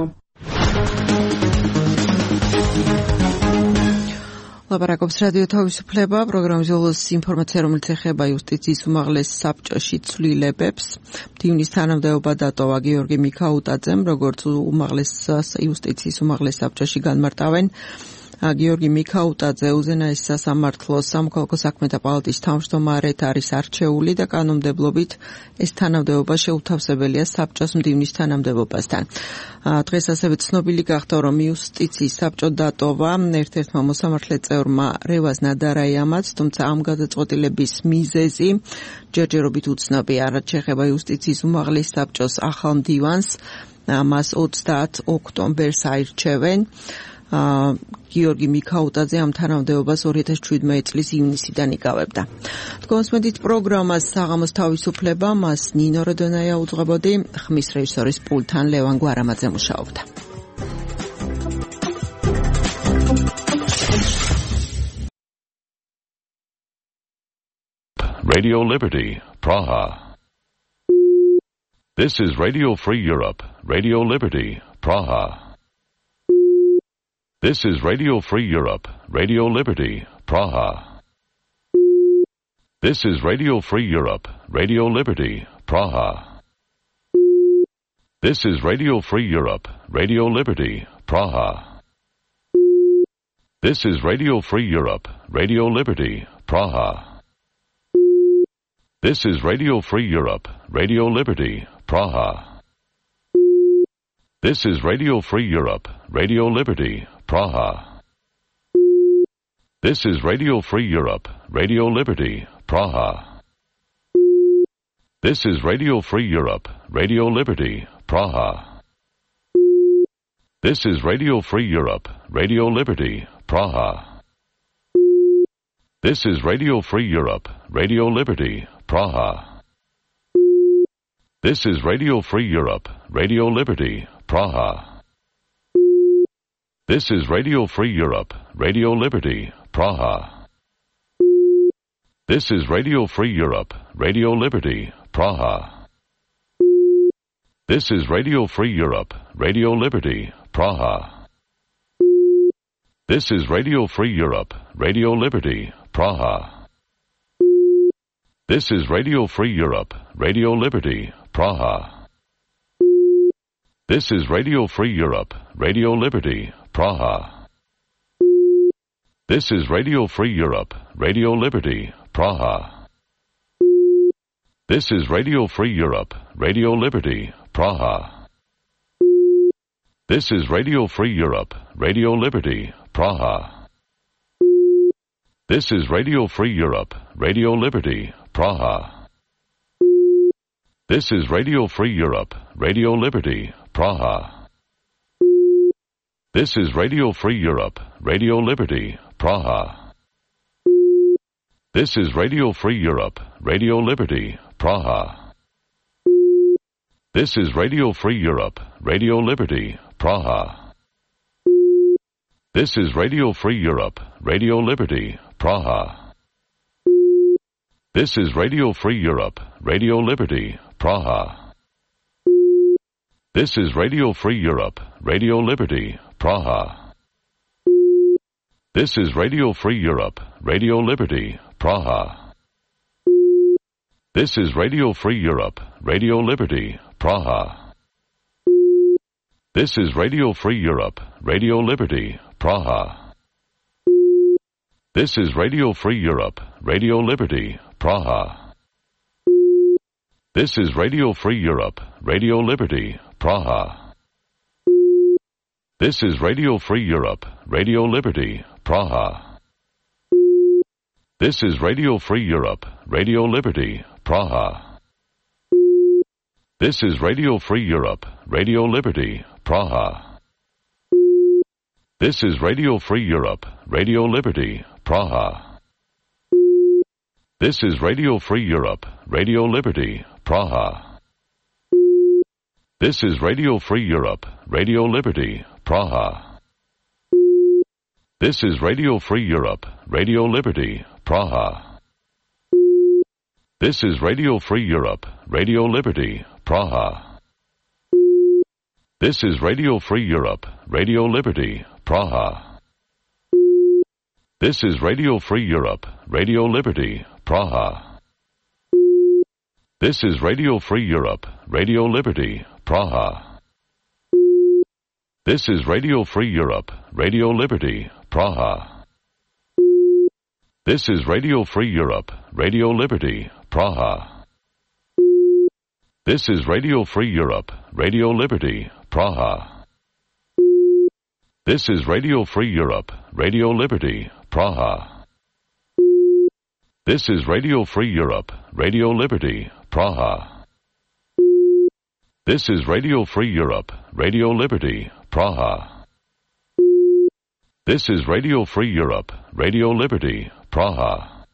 ლაპარაკობს რადიო თავისუფლება, პროგრამის ბოლოს ინფორმაცია, რომელიც ეხება იუსტიციის უმაღლეს საბჭოში ცვლილებებს. მდივნის თანამდებობა დატოვა გიორგი მიქაუტაძემ, როგორც უმაღლეს იუსტიციის უმაღლეს საბჭოში განმარტავენ. გიორგი მიქაუტაძე უზენაეს სასამართლოს სამოქალაქო საქმეთა პალატის თავმჯდომარედ არის არჩეული და კანონმდებლობით ეს თანამდებობა შეუთავსებელია საბჭოს მდივნის თანამდებობასთან. დღეს ასევე ცნობილი გახდა, რომ იუსტიციის საბჭო დატოვა ერთ-ერთმა მოსამართლე წევრმა რევაზ ნადარაიამაც, თუმცა ამ გადაწყვეტილების მიზეზი ჯერჯერობით უცნობია. რაც შეეხება იუსტიციის უმაღლეს საბჭოს ახალ მდივანს, მას 30 ოქტომბერს აირჩევენ. გიორგი მიქაუტაძე ამ თანამდებობას 2017 წლის ივნისიდან იკავებდა. თქვენსმენთ პროგრამას საღამოს თავისუფლება, მას ნინო როდონაია უძღვებოდი, ხმის რეჟისორის პულტთან ლევან გვარამაძე მუშაობდა. Radio Liberty, Praha. This is Radio Free Europe, Radio Liberty, Praha. This is Radio Free Europe, Radio Liberty, Praha. This is Radio Free Europe, Radio Liberty, Praha. This is Radio Free Europe, Radio Liberty, Praha. This is Radio Free Europe, Radio Liberty, Praha. This is Radio Free Europe, Radio Liberty, Praha. This is Radio Free Europe, Radio Liberty, Praha. This is Radio Free Europe, Radio Liberty, Praha. This is Radio Free Europe, Radio Liberty, Praha. This is Radio Free Europe, Radio Liberty, Praha. This is Radio Free Europe, Radio Liberty, Praha. This is Radio Free Europe, Radio Liberty, Praha. This is Radio Free Europe, Radio Liberty, Praha. This is Radio Free Europe, Radio Liberty, Praha. This is Radio Free Europe, Radio Liberty, Praha. This is Radio Free Europe, Radio Liberty, Praha. This is Radio Free Europe, Radio Liberty, Praha. This is Radio Free Europe, Radio Liberty, Praha. This is Radio Free Europe, Radio Liberty, Praha. This is Radio Free Europe, Radio Liberty, Praha. This is Radio Free Europe, Radio Liberty, Praha. This is Radio Free Europe, Radio Liberty, Praha. This is Radio Free Europe, Radio Liberty, Praha. This is Radio Free Europe, Radio Liberty, Praha. This is Radio Free Europe, Radio Liberty, Praha. This is Radio Free Europe, Radio Liberty, Praha. This is Radio Free Europe, Radio Liberty, Praha. This is Radio Free Europe, Radio Liberty, Praha. This is Radio Free Europe, Radio Liberty, Praha. This is Radio Free Europe, Radio Liberty, Praha. This is Radio Free Europe, Radio Liberty, Praha. This is Radio Free Europe, Radio Liberty, Praha. This is Radio Free Europe, Radio Liberty, Praha. This is Radio Free Europe, Radio Liberty, Praha. This is Radio Free Europe, Radio Liberty, Praha. This is Radio Free Europe, Radio Liberty, Praha. This is Radio Free Europe, Radio Liberty, Praha. This is Radio Free Europe, Radio Liberty, Praha. This is Radio Free Europe, Radio Liberty, Praha. This is Radio Free Europe, Radio Liberty, Praha. This is Radio Free Europe, Radio Liberty, Praha. This is Radio Free Europe, Radio Liberty, Praha. This is Radio Free Europe, Radio Liberty, Praha. This is Radio Free Europe, Radio Liberty, Praha. This is Radio Free Europe, Radio Liberty, Praha. This is Radio Free Europe, Radio Liberty, Praha. This is Radio Free Europe, Radio Liberty, Praha. This is Radio Free Europe, Radio Liberty, Praha. This is Radio Free Europe, Radio Liberty, Praha. This is Radio Free Europe, Radio Liberty, Praha. This is Radio Free Europe, Radio Liberty, Praha. This is Radio Free Europe, Radio Liberty, Praha.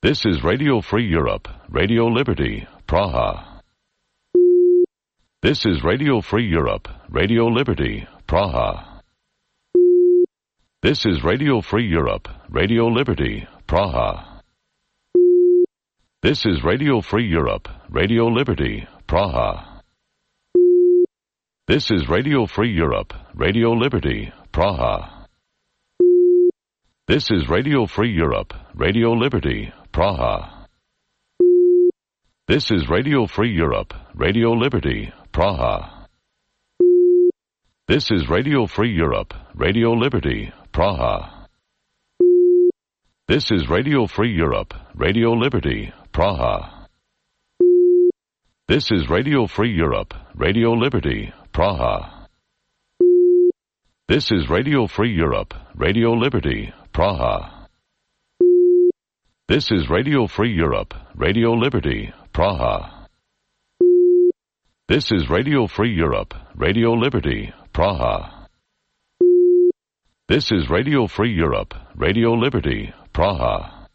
This is Radio Free Europe, Radio Liberty, Praha. This is Radio Free Europe, Radio Liberty, Praha. This is Radio Free Europe, Radio Liberty, Praha. This is Radio Free Europe, Radio Liberty, Praha. This is Radio Free Europe, Radio Liberty, Praha. This is Radio Free Europe, Radio Liberty, Praha. This is Radio Free Europe, Radio Liberty, Praha. This is Radio Free Europe, Radio Liberty, Praha. This is Radio Free Europe, Radio Liberty, Praha. This is Radio Free Europe, Radio Liberty, Praha. This is Radio Free Europe, Radio Liberty, Praha. This is Radio Free Europe, Radio Liberty, Praha. This is Radio Free Europe, Radio Liberty, Praha. This is Radio Free Europe, Radio Liberty, Praha.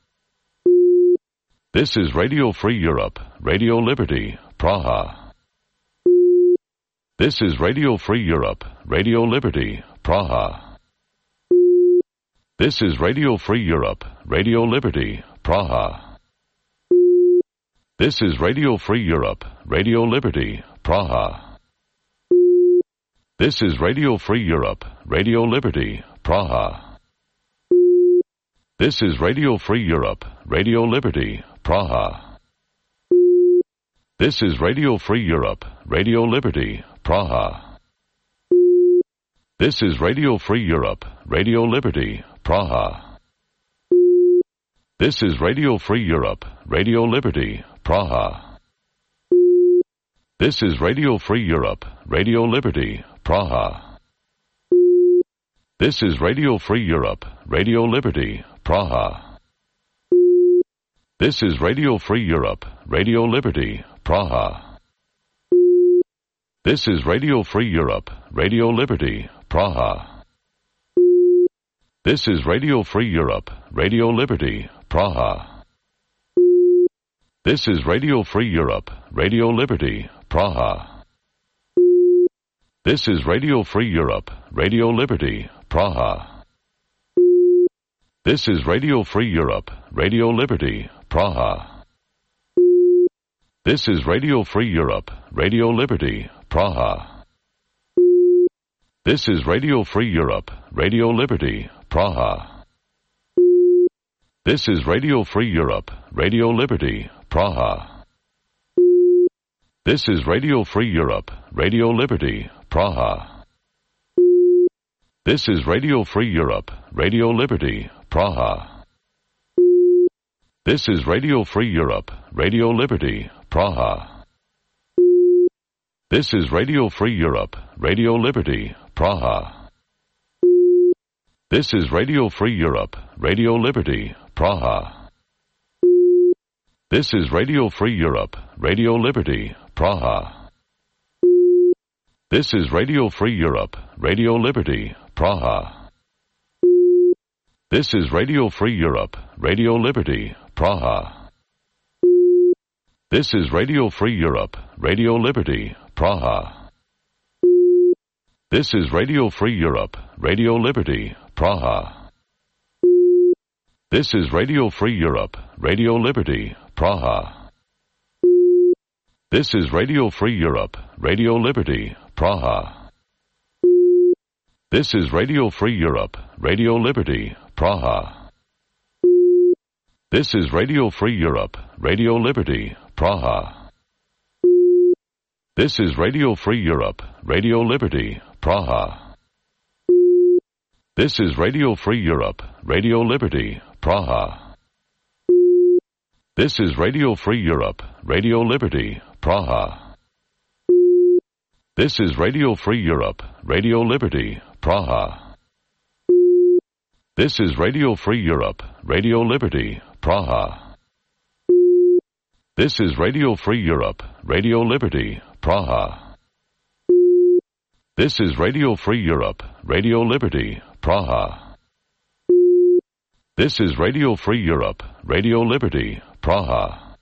This is Radio Free Europe, Radio Liberty, Praha. This is Radio Free Europe, Radio Liberty, Praha. This is Radio Free Europe, Radio Liberty, Praha. This is Radio Free Europe, Radio Liberty, Praha. This is Radio Free Europe, Radio Liberty, Praha. This is Radio Free Europe, Radio Liberty, Praha. This is Radio Free Europe, Radio Liberty, Praha. This is Radio Free Europe, Radio Liberty, Praha. This is Radio Free Europe, Radio Liberty, Praha. This is Radio Free Europe, Radio Liberty, Praha. This is Radio Free Europe, Radio Liberty, Praha. This is Radio Free Europe, Radio Liberty, Praha. This is Radio Free Europe, Radio Liberty, Praha. This is Radio Free Europe, Radio Liberty, Praha. This is Radio Free Europe, Radio Liberty, Praha. This is Radio Free Europe, Radio Liberty, Praha. This is Radio Free Europe, Radio Liberty, Praha. This is Radio Free Europe, Radio Liberty, Praha. This is Radio Free Europe, Radio Liberty, Praha. This is Radio Free Europe, Radio Liberty, Praha. This is Radio Free Europe, Radio Liberty, Praha. This is Radio Free Europe, Radio Liberty, Praha. This is Radio Free Europe, Radio Liberty, Praha. This is Radio Free Europe, Radio Liberty, Praha. This is Radio Free Europe, Radio Liberty, Praha. This is Radio Free Europe, Radio Liberty, Praha. This is Radio Free Europe, Radio Liberty, Praha. This is Radio Free Europe, Radio Liberty, Praha. This is Radio Free Europe, Radio Liberty, Praha. This is Radio Free Europe, Radio Liberty, Praha. This is Radio Free Europe, Radio Liberty, Praha. This is Radio Free Europe, Radio Liberty, Praha. This is Radio Free Europe, Radio Liberty, Praha. This is Radio Free Europe, Radio Liberty, Praha. This is Radio Free Europe, Radio Liberty, Praha. This is Radio Free Europe, Radio Liberty, Praha. This is Radio Free Europe, Radio Liberty, Praha. This is Radio Free Europe, Radio Liberty, Praha. This is Radio Free Europe, Radio Liberty, Praha. This is Radio Free Europe, Radio Liberty, Praha. This is Radio Free Europe, Radio Liberty, Praha. This is Radio Free Europe, Radio Liberty, Praha.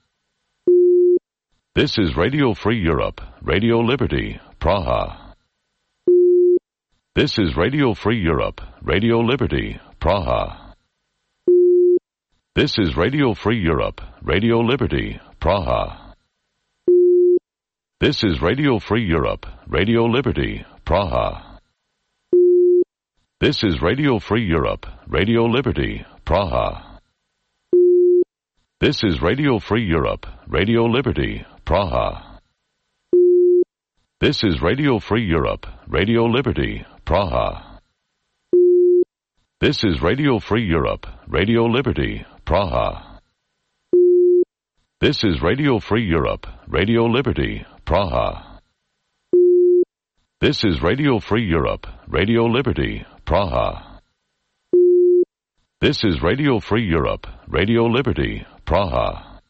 This is Radio Free Europe, Radio Liberty, Praha. This is Radio Free Europe, Radio Liberty, Praha. This is Radio Free Europe, Radio Liberty, Praha. This is Radio Free Europe, Radio Liberty, Praha. This is Radio Free Europe, Radio Liberty, Praha. This is Radio Free Europe, Radio Liberty, Praha. This is Radio Free Europe, Radio Liberty, Praha. This is Radio Free Europe, Radio Liberty, Praha. This is Radio Free Europe, Radio Liberty, Praha. This is Radio Free Europe, Radio Liberty, Praha. This is Radio Free Europe, Radio Liberty, Praha.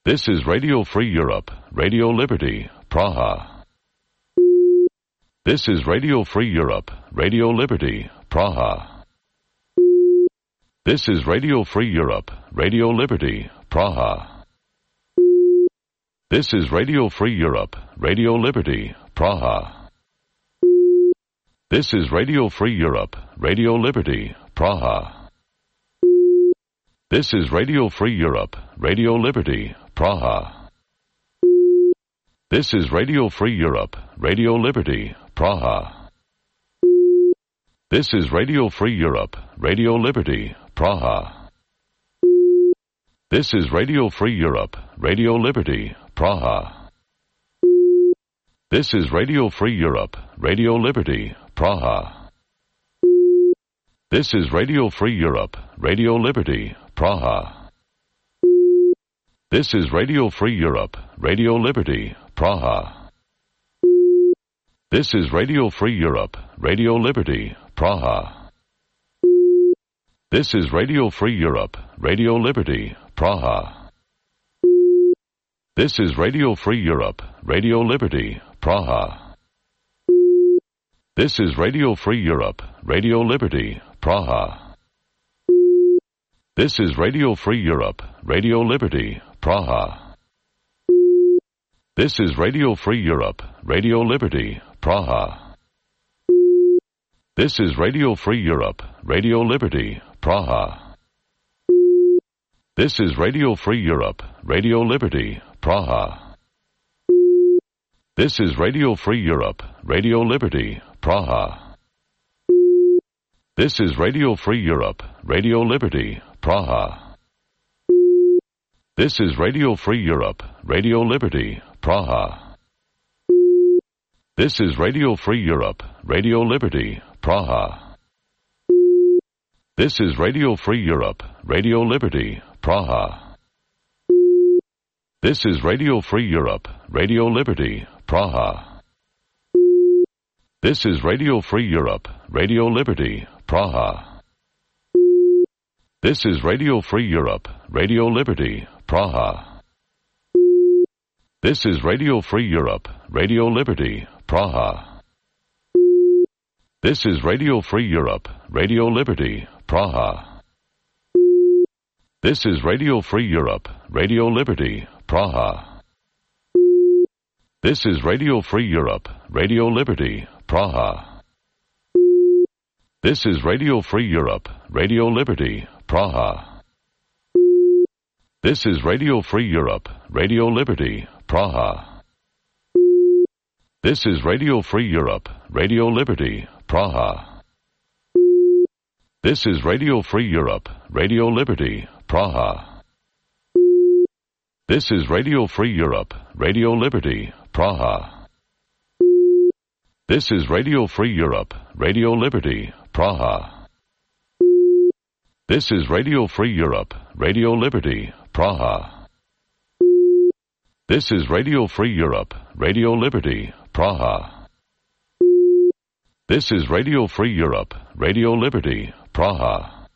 This is Radio Free Europe, Radio Liberty, Praha. This is Radio Free Europe, Radio Liberty, Praha. This is Radio Free Europe, Radio Liberty, Praha. This is Radio Free Europe, Radio Liberty, Praha. This is Radio Free Europe, Radio Liberty, Praha. This is Radio Free Europe, Radio Liberty, Praha. This is Radio Free Europe, Radio Liberty, Praha. This is Radio Free Europe, Radio Liberty, Praha. This is Radio Free Europe, Radio Liberty, Praha. This is Radio Free Europe, Radio Liberty, Praha. This is Radio Free Europe, Radio Liberty, Praha. This is Radio Free Europe, Radio Liberty, Praha. This is Radio Free Europe, Radio Liberty, Praha. This is Radio Free Europe, Radio Liberty, Praha. This is Radio Free Europe, Radio Liberty, Praha. This is Radio Free Europe, Radio Liberty, Praha. This is Radio Free Europe, Radio Liberty, Praha. This is Radio Free Europe, Radio Liberty, Praha. This is Radio Free Europe, Radio Liberty, Praha. This is Radio Free Europe, Radio Liberty, Praha. This is Radio Free Europe, Radio Liberty, Praha. This is Radio Free Europe, Radio Liberty, Praha. This is Radio Free Europe, Radio Liberty, Praha. This is Radio Free Europe, Radio Liberty, Praha. This is Radio Free Europe, Radio Liberty, Praha. This is Radio Free Europe, Radio Liberty, Praha. This is Radio Free Europe, Radio Liberty, Praha. This is Radio Free Europe, Radio Liberty, Praha. This is Radio Free Europe, Radio Liberty, Praha. This is Radio Free Europe, Radio Liberty, Praha. This is Radio Free Europe, Radio Liberty, Praha. This is Radio Free Europe, Radio Liberty, Praha. This is Radio Free Europe, Radio Liberty, Praha. This is Radio Free Europe, Radio Liberty, Praha. This is Radio Free Europe, Radio Liberty, Praha. This is Radio Free Europe, Radio Liberty, Praha. This is Radio Free Europe, Radio Liberty, Praha. This is Radio Free Europe, Radio Liberty, Praha. This is Radio Free Europe, Radio Liberty, Praha. This is Radio Free Europe, Radio Liberty, Praha. This is Radio Free Europe, Radio Liberty, Praha.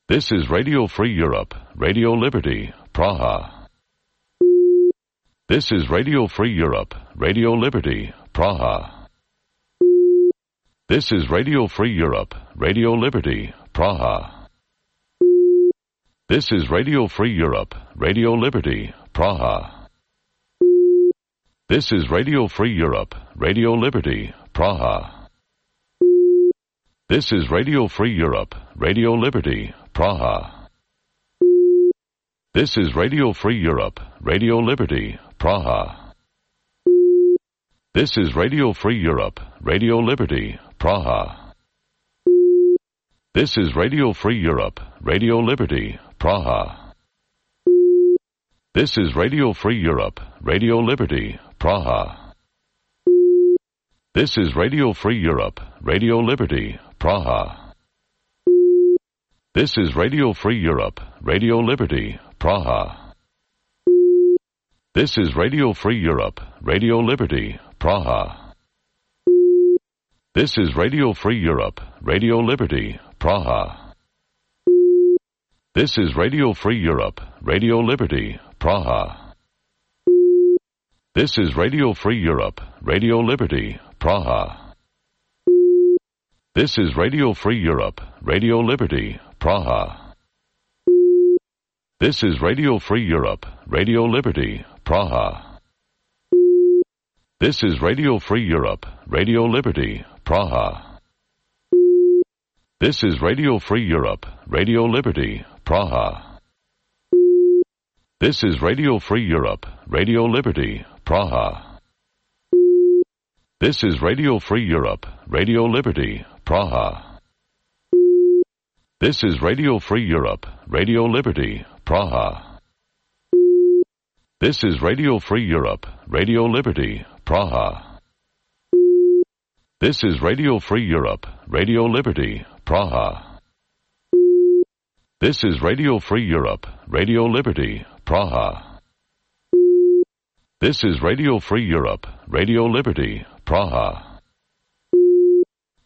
This is Radio Free Europe, Radio Liberty, Praha. This is Radio Free Europe, Radio Liberty, Praha. This is Radio Free Europe, Radio Liberty, Praha. This is Radio Free Europe, Radio Liberty, Praha. This is Radio Free Europe, Radio Liberty, Praha. This is Radio Free Europe, Radio Liberty, Praha. This is Radio Free Europe, Radio Liberty, Praha. This is Radio Free Europe, Radio Liberty, Praha. This is Radio Free Europe, Radio Liberty, Praha. This is Radio Free Europe, Radio Liberty, Praha. This is Radio Free Europe, Radio Liberty, Praha. This is Radio Free Europe, Radio Liberty, Praha. This is Radio Free Europe, Radio Liberty, Praha. This is Radio Free Europe, Radio Liberty, Praha. This is Radio Free Europe, Radio Liberty, Praha. This is Radio Free Europe, Radio Liberty, Praha. This is Radio Free Europe, Radio Liberty, Praha. This is Radio Free Europe, Radio Liberty, Praha. This is Radio Free Europe, Radio Liberty, Praha. This is Radio Free Europe, Radio Liberty, Praha. This is Radio Free Europe, Radio Liberty, Praha. This is Radio Free Europe, Radio Liberty, Praha. This is Radio Free Europe, Radio Liberty, Praha. This is Radio Free Europe, Radio Liberty, Praha. This is Radio Free Europe, Radio Liberty, Praha. This is Radio Free Europe, Radio Liberty, Praha. This is Radio Free Europe, Radio Liberty, Praha.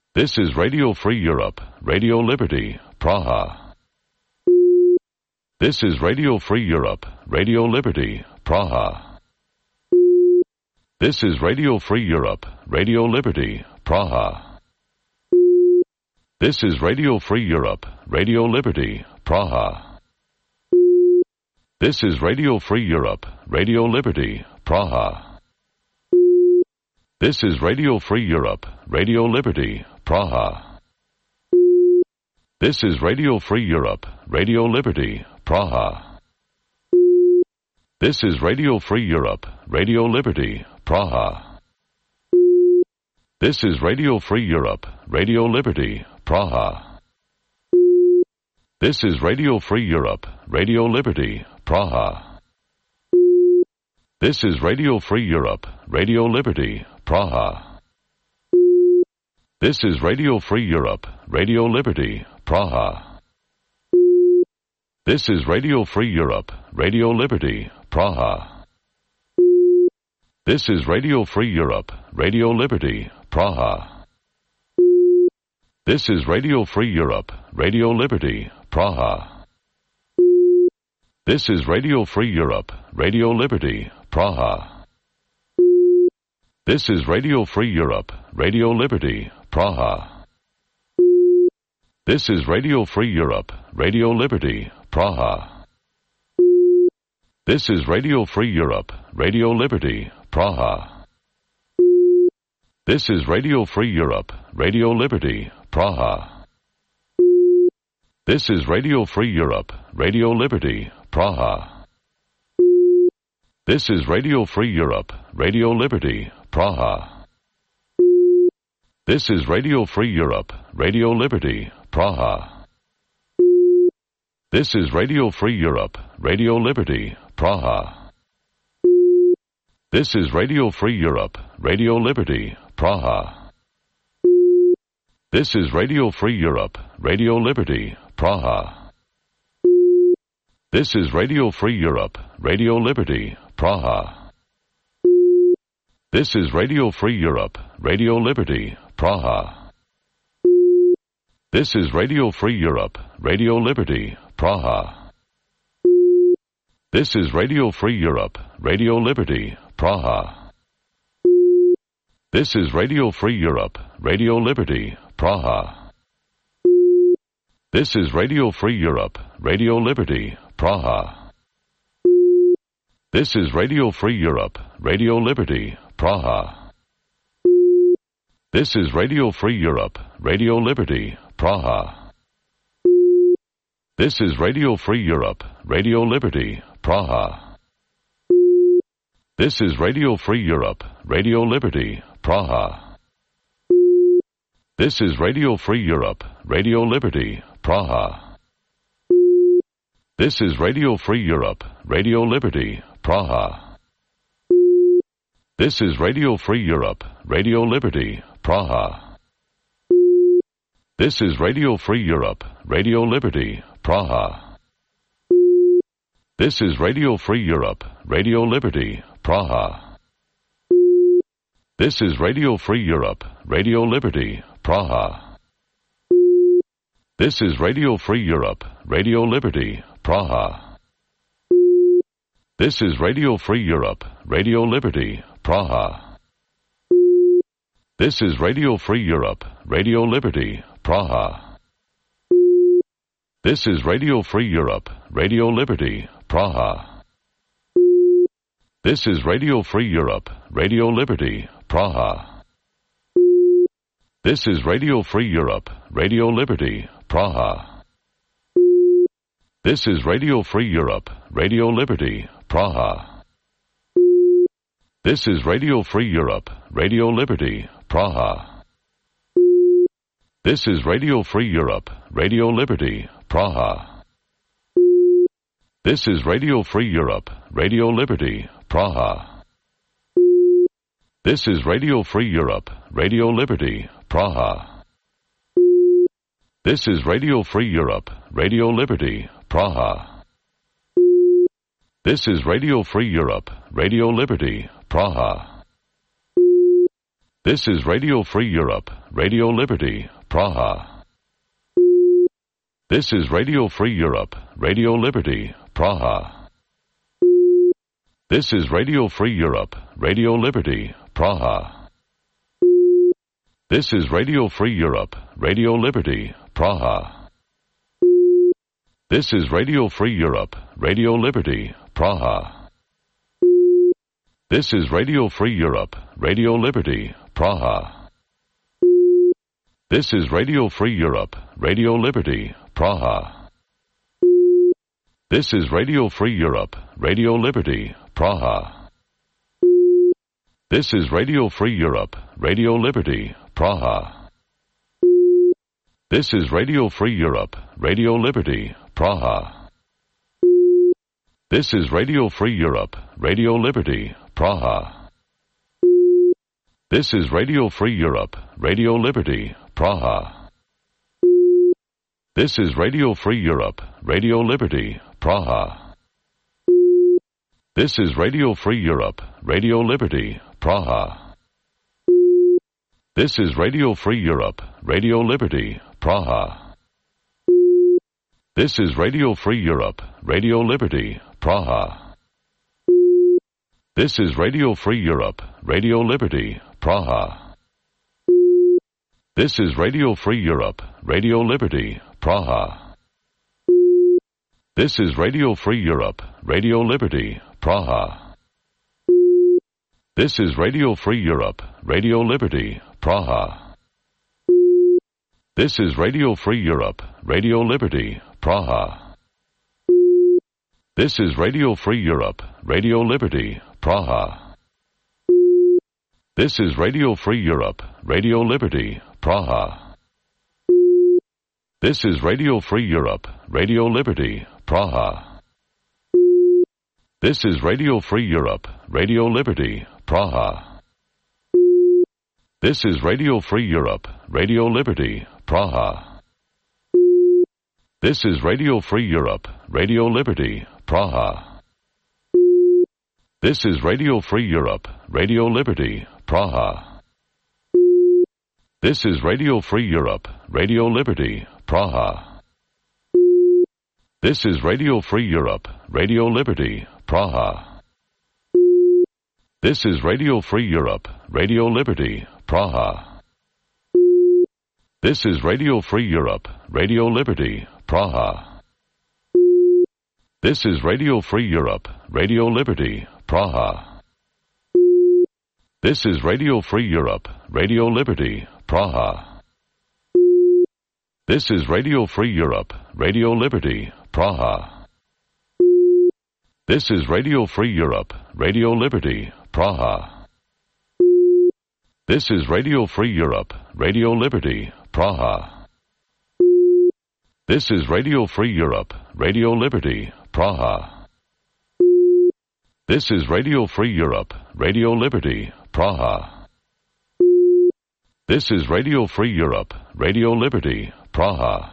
This is Radio Free Europe, Radio Liberty, Praha. This is Radio Free Europe, Radio Liberty, Praha. This is Radio Free Europe, Radio Liberty, Praha. This is Radio Free Europe, Radio Liberty, Praha. This is Radio Free Europe, Radio Liberty, Praha. This is Radio Free Europe, Radio Liberty, Praha. This is Radio Free Europe, Radio Liberty, Praha. This is Radio Free Europe, Radio Liberty, Praha. This is Radio Free Europe, Radio Liberty, Praha. This is Radio Free Europe, Radio Liberty, Praha. This is Radio Free Europe, Radio Liberty, Praha. This is Radio Free Europe, Radio Liberty, Praha. This is Radio Free Europe, Radio Liberty, Praha. This is Radio Free Europe, Radio Liberty, Praha. This is Radio Free Europe, Radio Liberty, Praha. This is Radio Free Europe, Radio Liberty, Praha. This is Radio Free Europe, Radio Liberty, Praha. This is Radio Free Europe, Radio Liberty, Praha. This is Radio Free Europe, Radio Liberty, Praha. This is Radio Free Europe, Radio Liberty, Praha. This is Radio Free Europe, Radio Liberty, Praha. This is Radio Free Europe, Radio Liberty, Praha. This is Radio Free Europe, Radio Liberty, Praha. This is Radio Free Europe, Radio Liberty, Praha. This is Radio Free Europe, Radio Liberty, Praha. This is Radio Free Europe, Radio Liberty, Praha. This is Radio Free Europe, Radio Liberty, Praha. This is Radio Free Europe, Radio Liberty, Praha. This is Radio Free Europe, Radio Liberty, Praha. This is Radio Free Europe, Radio Liberty, Praha. This is Radio Free Europe, Radio Liberty, Praha. This is Radio Free Europe, Radio Liberty, Praha. This is Radio Free Europe, Radio Liberty, Praha. This is Radio Free Europe, Radio Liberty, Praha. This is Radio Free Europe, Radio Liberty, Praha. This is Radio Free Europe, Radio Liberty, Praha. This is Radio Free Europe, Radio Liberty, Praha. This is Radio Free Europe, Radio Liberty, Praha. This is Radio Free Europe, Radio Liberty, Praha. This is Radio Free Europe, Radio Liberty, Praha. This is Radio Free Europe, Radio Liberty, Praha. This is Radio Free Europe, Radio Liberty, Praha. This is Radio Free Europe, Radio Liberty, Praha. This is Radio Free Europe, Radio Liberty, Praha. This is Radio Free Europe, Radio Liberty, Praha. This is Radio Free Europe, Radio Liberty, Praha. This is Radio Free Europe, Radio Liberty, Praha. This is Radio Free Europe, Radio Liberty, Praha. This is Radio Free Europe, Radio Liberty, Praha. This is Radio Free Europe, Radio Liberty, Praha. This is Radio Free Europe, Radio Liberty, Praha. This is Radio Free Europe, Radio Liberty, Praha. This is Radio Free Europe, Radio Liberty, Praha. This is Radio Free Europe, Radio Liberty, Praha. This is Radio Free Europe, Radio Liberty, Praha. This is Radio Free Europe, Radio Liberty, Praha. This is Radio Free Europe, Radio Liberty, Praha. This is Radio Free Europe, Radio Liberty, Praha. This is Radio Free Europe, Radio Liberty, Praha. This is Radio Free Europe, Radio Liberty, Praha. This is Radio Free Europe, Radio Liberty, Praha. This is Radio Free Europe, Radio Liberty, Praha. This is Radio Free Europe, Radio Liberty, Praha. This is Radio Free Europe, Radio Liberty, Praha. This is Radio Free Europe, Radio Liberty, Praha. This is Radio Free Europe, Radio Liberty, Praha. This is Radio Free Europe, Radio Liberty, Praha. This is Radio Free Europe, Radio Liberty, Praha. This is Radio Free Europe, Radio Liberty, Praha. This is Radio Free Europe, Radio Liberty, Praha. This is Radio Free Europe, Radio Liberty, Praha. This is Radio Free Europe, Radio Liberty, Praha. This is Radio Free Europe, Radio Liberty, Praha. This is Radio Free Europe, Radio Liberty, Praha. This is Radio Free Europe, Radio Liberty, Praha. This is Radio Free Europe, Radio Liberty, Praha. This is Radio Free Europe, Radio Liberty, Praha. This is Radio Free Europe, Radio Liberty, Praha. This is Radio Free Europe, Radio Liberty, Praha. This is Radio Free Europe, Radio Liberty, Praha. This is Radio Free Europe, Radio Liberty, Praha. This is Radio Free Europe, Radio Liberty, Praha. This is Radio Free Europe, Radio Liberty, Praha. This is Radio Free Europe, Radio Liberty, Praha. This is Radio Free Europe, Radio Liberty, Praha. This is Radio Free Europe, Radio Liberty, Praha. This is Radio Free Europe, Radio Liberty, Praha. This is Radio Free Europe, Radio Liberty, Praha. This is Radio Free Europe, Radio Liberty, Praha. This is Radio Free Europe, Radio Liberty, Praha. This is Radio Free Europe, Radio Liberty, Praha. This is Radio Free Europe, Radio Liberty, Praha. This is Radio Free Europe, Radio Liberty, Praha. This is Radio Free Europe, Radio Liberty, Praha. This is Radio Free Europe, Radio Liberty, Praha.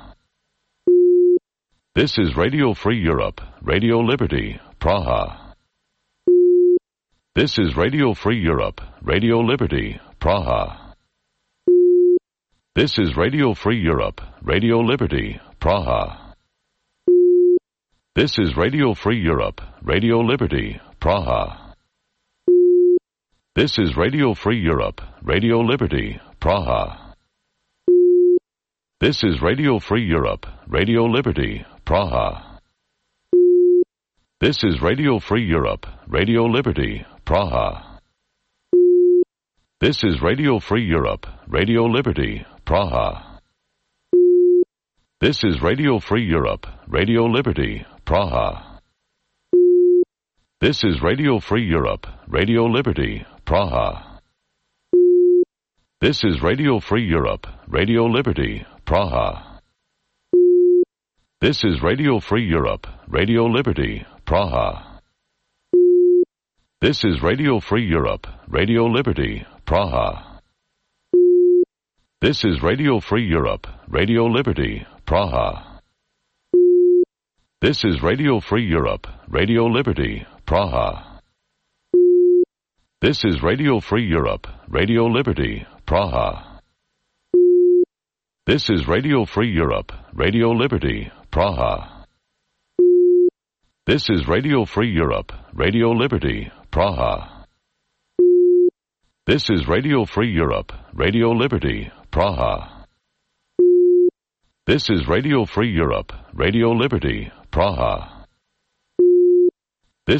This is Radio Free Europe, Radio Liberty, Praha. This is Radio Free Europe, Radio Liberty, Praha. This is Radio Free Europe, Radio Liberty, Praha. This is Radio Free Europe, Radio Liberty, Praha. This is Radio Free Europe, Radio Liberty, Praha. This is Radio Free Europe, Radio Liberty, Praha. This is Radio Free Europe, Radio Liberty, Praha. This is Radio Free Europe, Radio Liberty, Praha. This is Radio Free Europe, Radio Liberty, Praha. This is Radio Free Europe, Radio Liberty, Praha. This is Radio Free Europe, Radio Liberty, Praha. This is Radio Free Europe, Radio Liberty, Praha. This is Radio Free Europe, Radio Liberty, Praha. This is Radio Free Europe, Radio Liberty, Praha. This is Radio Free Europe, Radio Liberty, Praha. This is Radio Free Europe, Radio Liberty, Praha. This is Radio Free Europe, Radio Liberty, Praha. This is Radio Free Europe, Radio Liberty, Praha. This is Radio Free Europe, Radio Liberty, Praha. This is Radio Free Europe, Radio Liberty, Praha.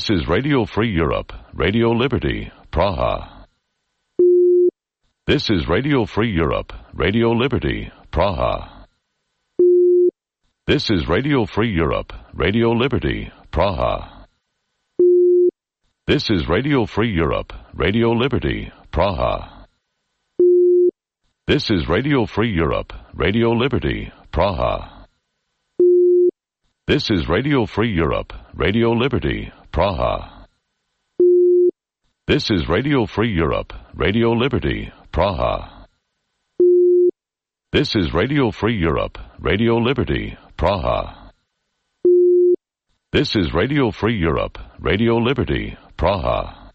This is Radio Free Europe, Radio Liberty, Praha. This is Radio Free Europe, Radio Liberty, Praha. This is Radio Free Europe, Radio Liberty, Praha. This is Radio Free Europe, Radio Liberty, Praha. This is Radio Free Europe, Radio Liberty, Praha. This is Radio Free Europe, Radio Liberty, Praha. This is Radio Free Europe, Radio Liberty, Praha. This is Radio Free Europe, Radio Liberty, Praha. This is Radio Free Europe, Radio Liberty, Praha.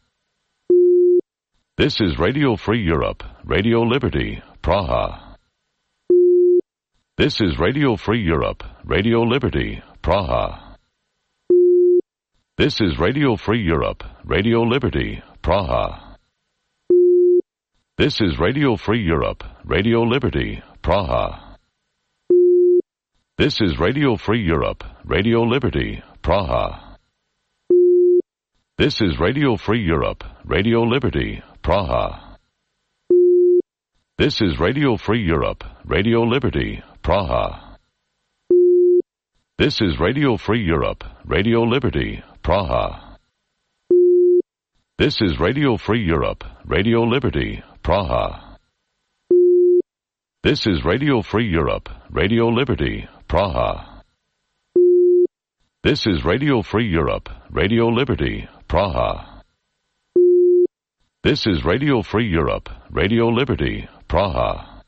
This is Radio Free Europe, Radio Liberty, Praha. This is Radio Free Europe, Radio Liberty, Praha. This is Radio Free Europe, Radio Liberty, Praha. This is Radio Free Europe, Radio Liberty, Praha. This is Radio Free Europe, Radio Liberty, Praha. This is Radio Free Europe, Radio Liberty, Praha. This is Radio Free Europe, Radio Liberty, Praha. This is Radio Free Europe, Radio Liberty, Praha. This is Radio Free Europe, Radio Liberty, Praha. This is Radio Free Europe, Radio Liberty, Praha. This is Radio Free Europe, Radio Liberty, Praha. This is Radio Free Europe, Radio Liberty, Praha.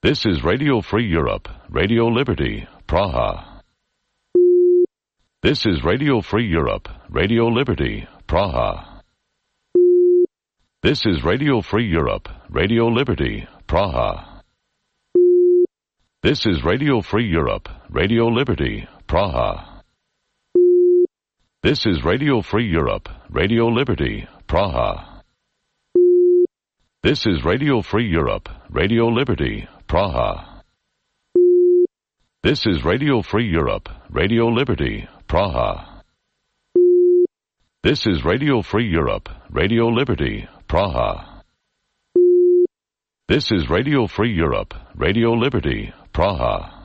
This is Radio Free Europe, Radio Liberty, Praha. This is Radio Free Europe, Radio Liberty, Praha. This is Radio Free Europe, Radio Liberty, Praha. This is Radio Free Europe, Radio Liberty, Praha. This is Radio Free Europe, Radio Liberty, Praha. This is Radio Free Europe, Radio Liberty, Praha. This is Radio Free Europe, Radio Liberty, Praha. This is Radio Free Europe, Radio Liberty, Praha. This is Radio Free Europe, Radio Liberty, Praha.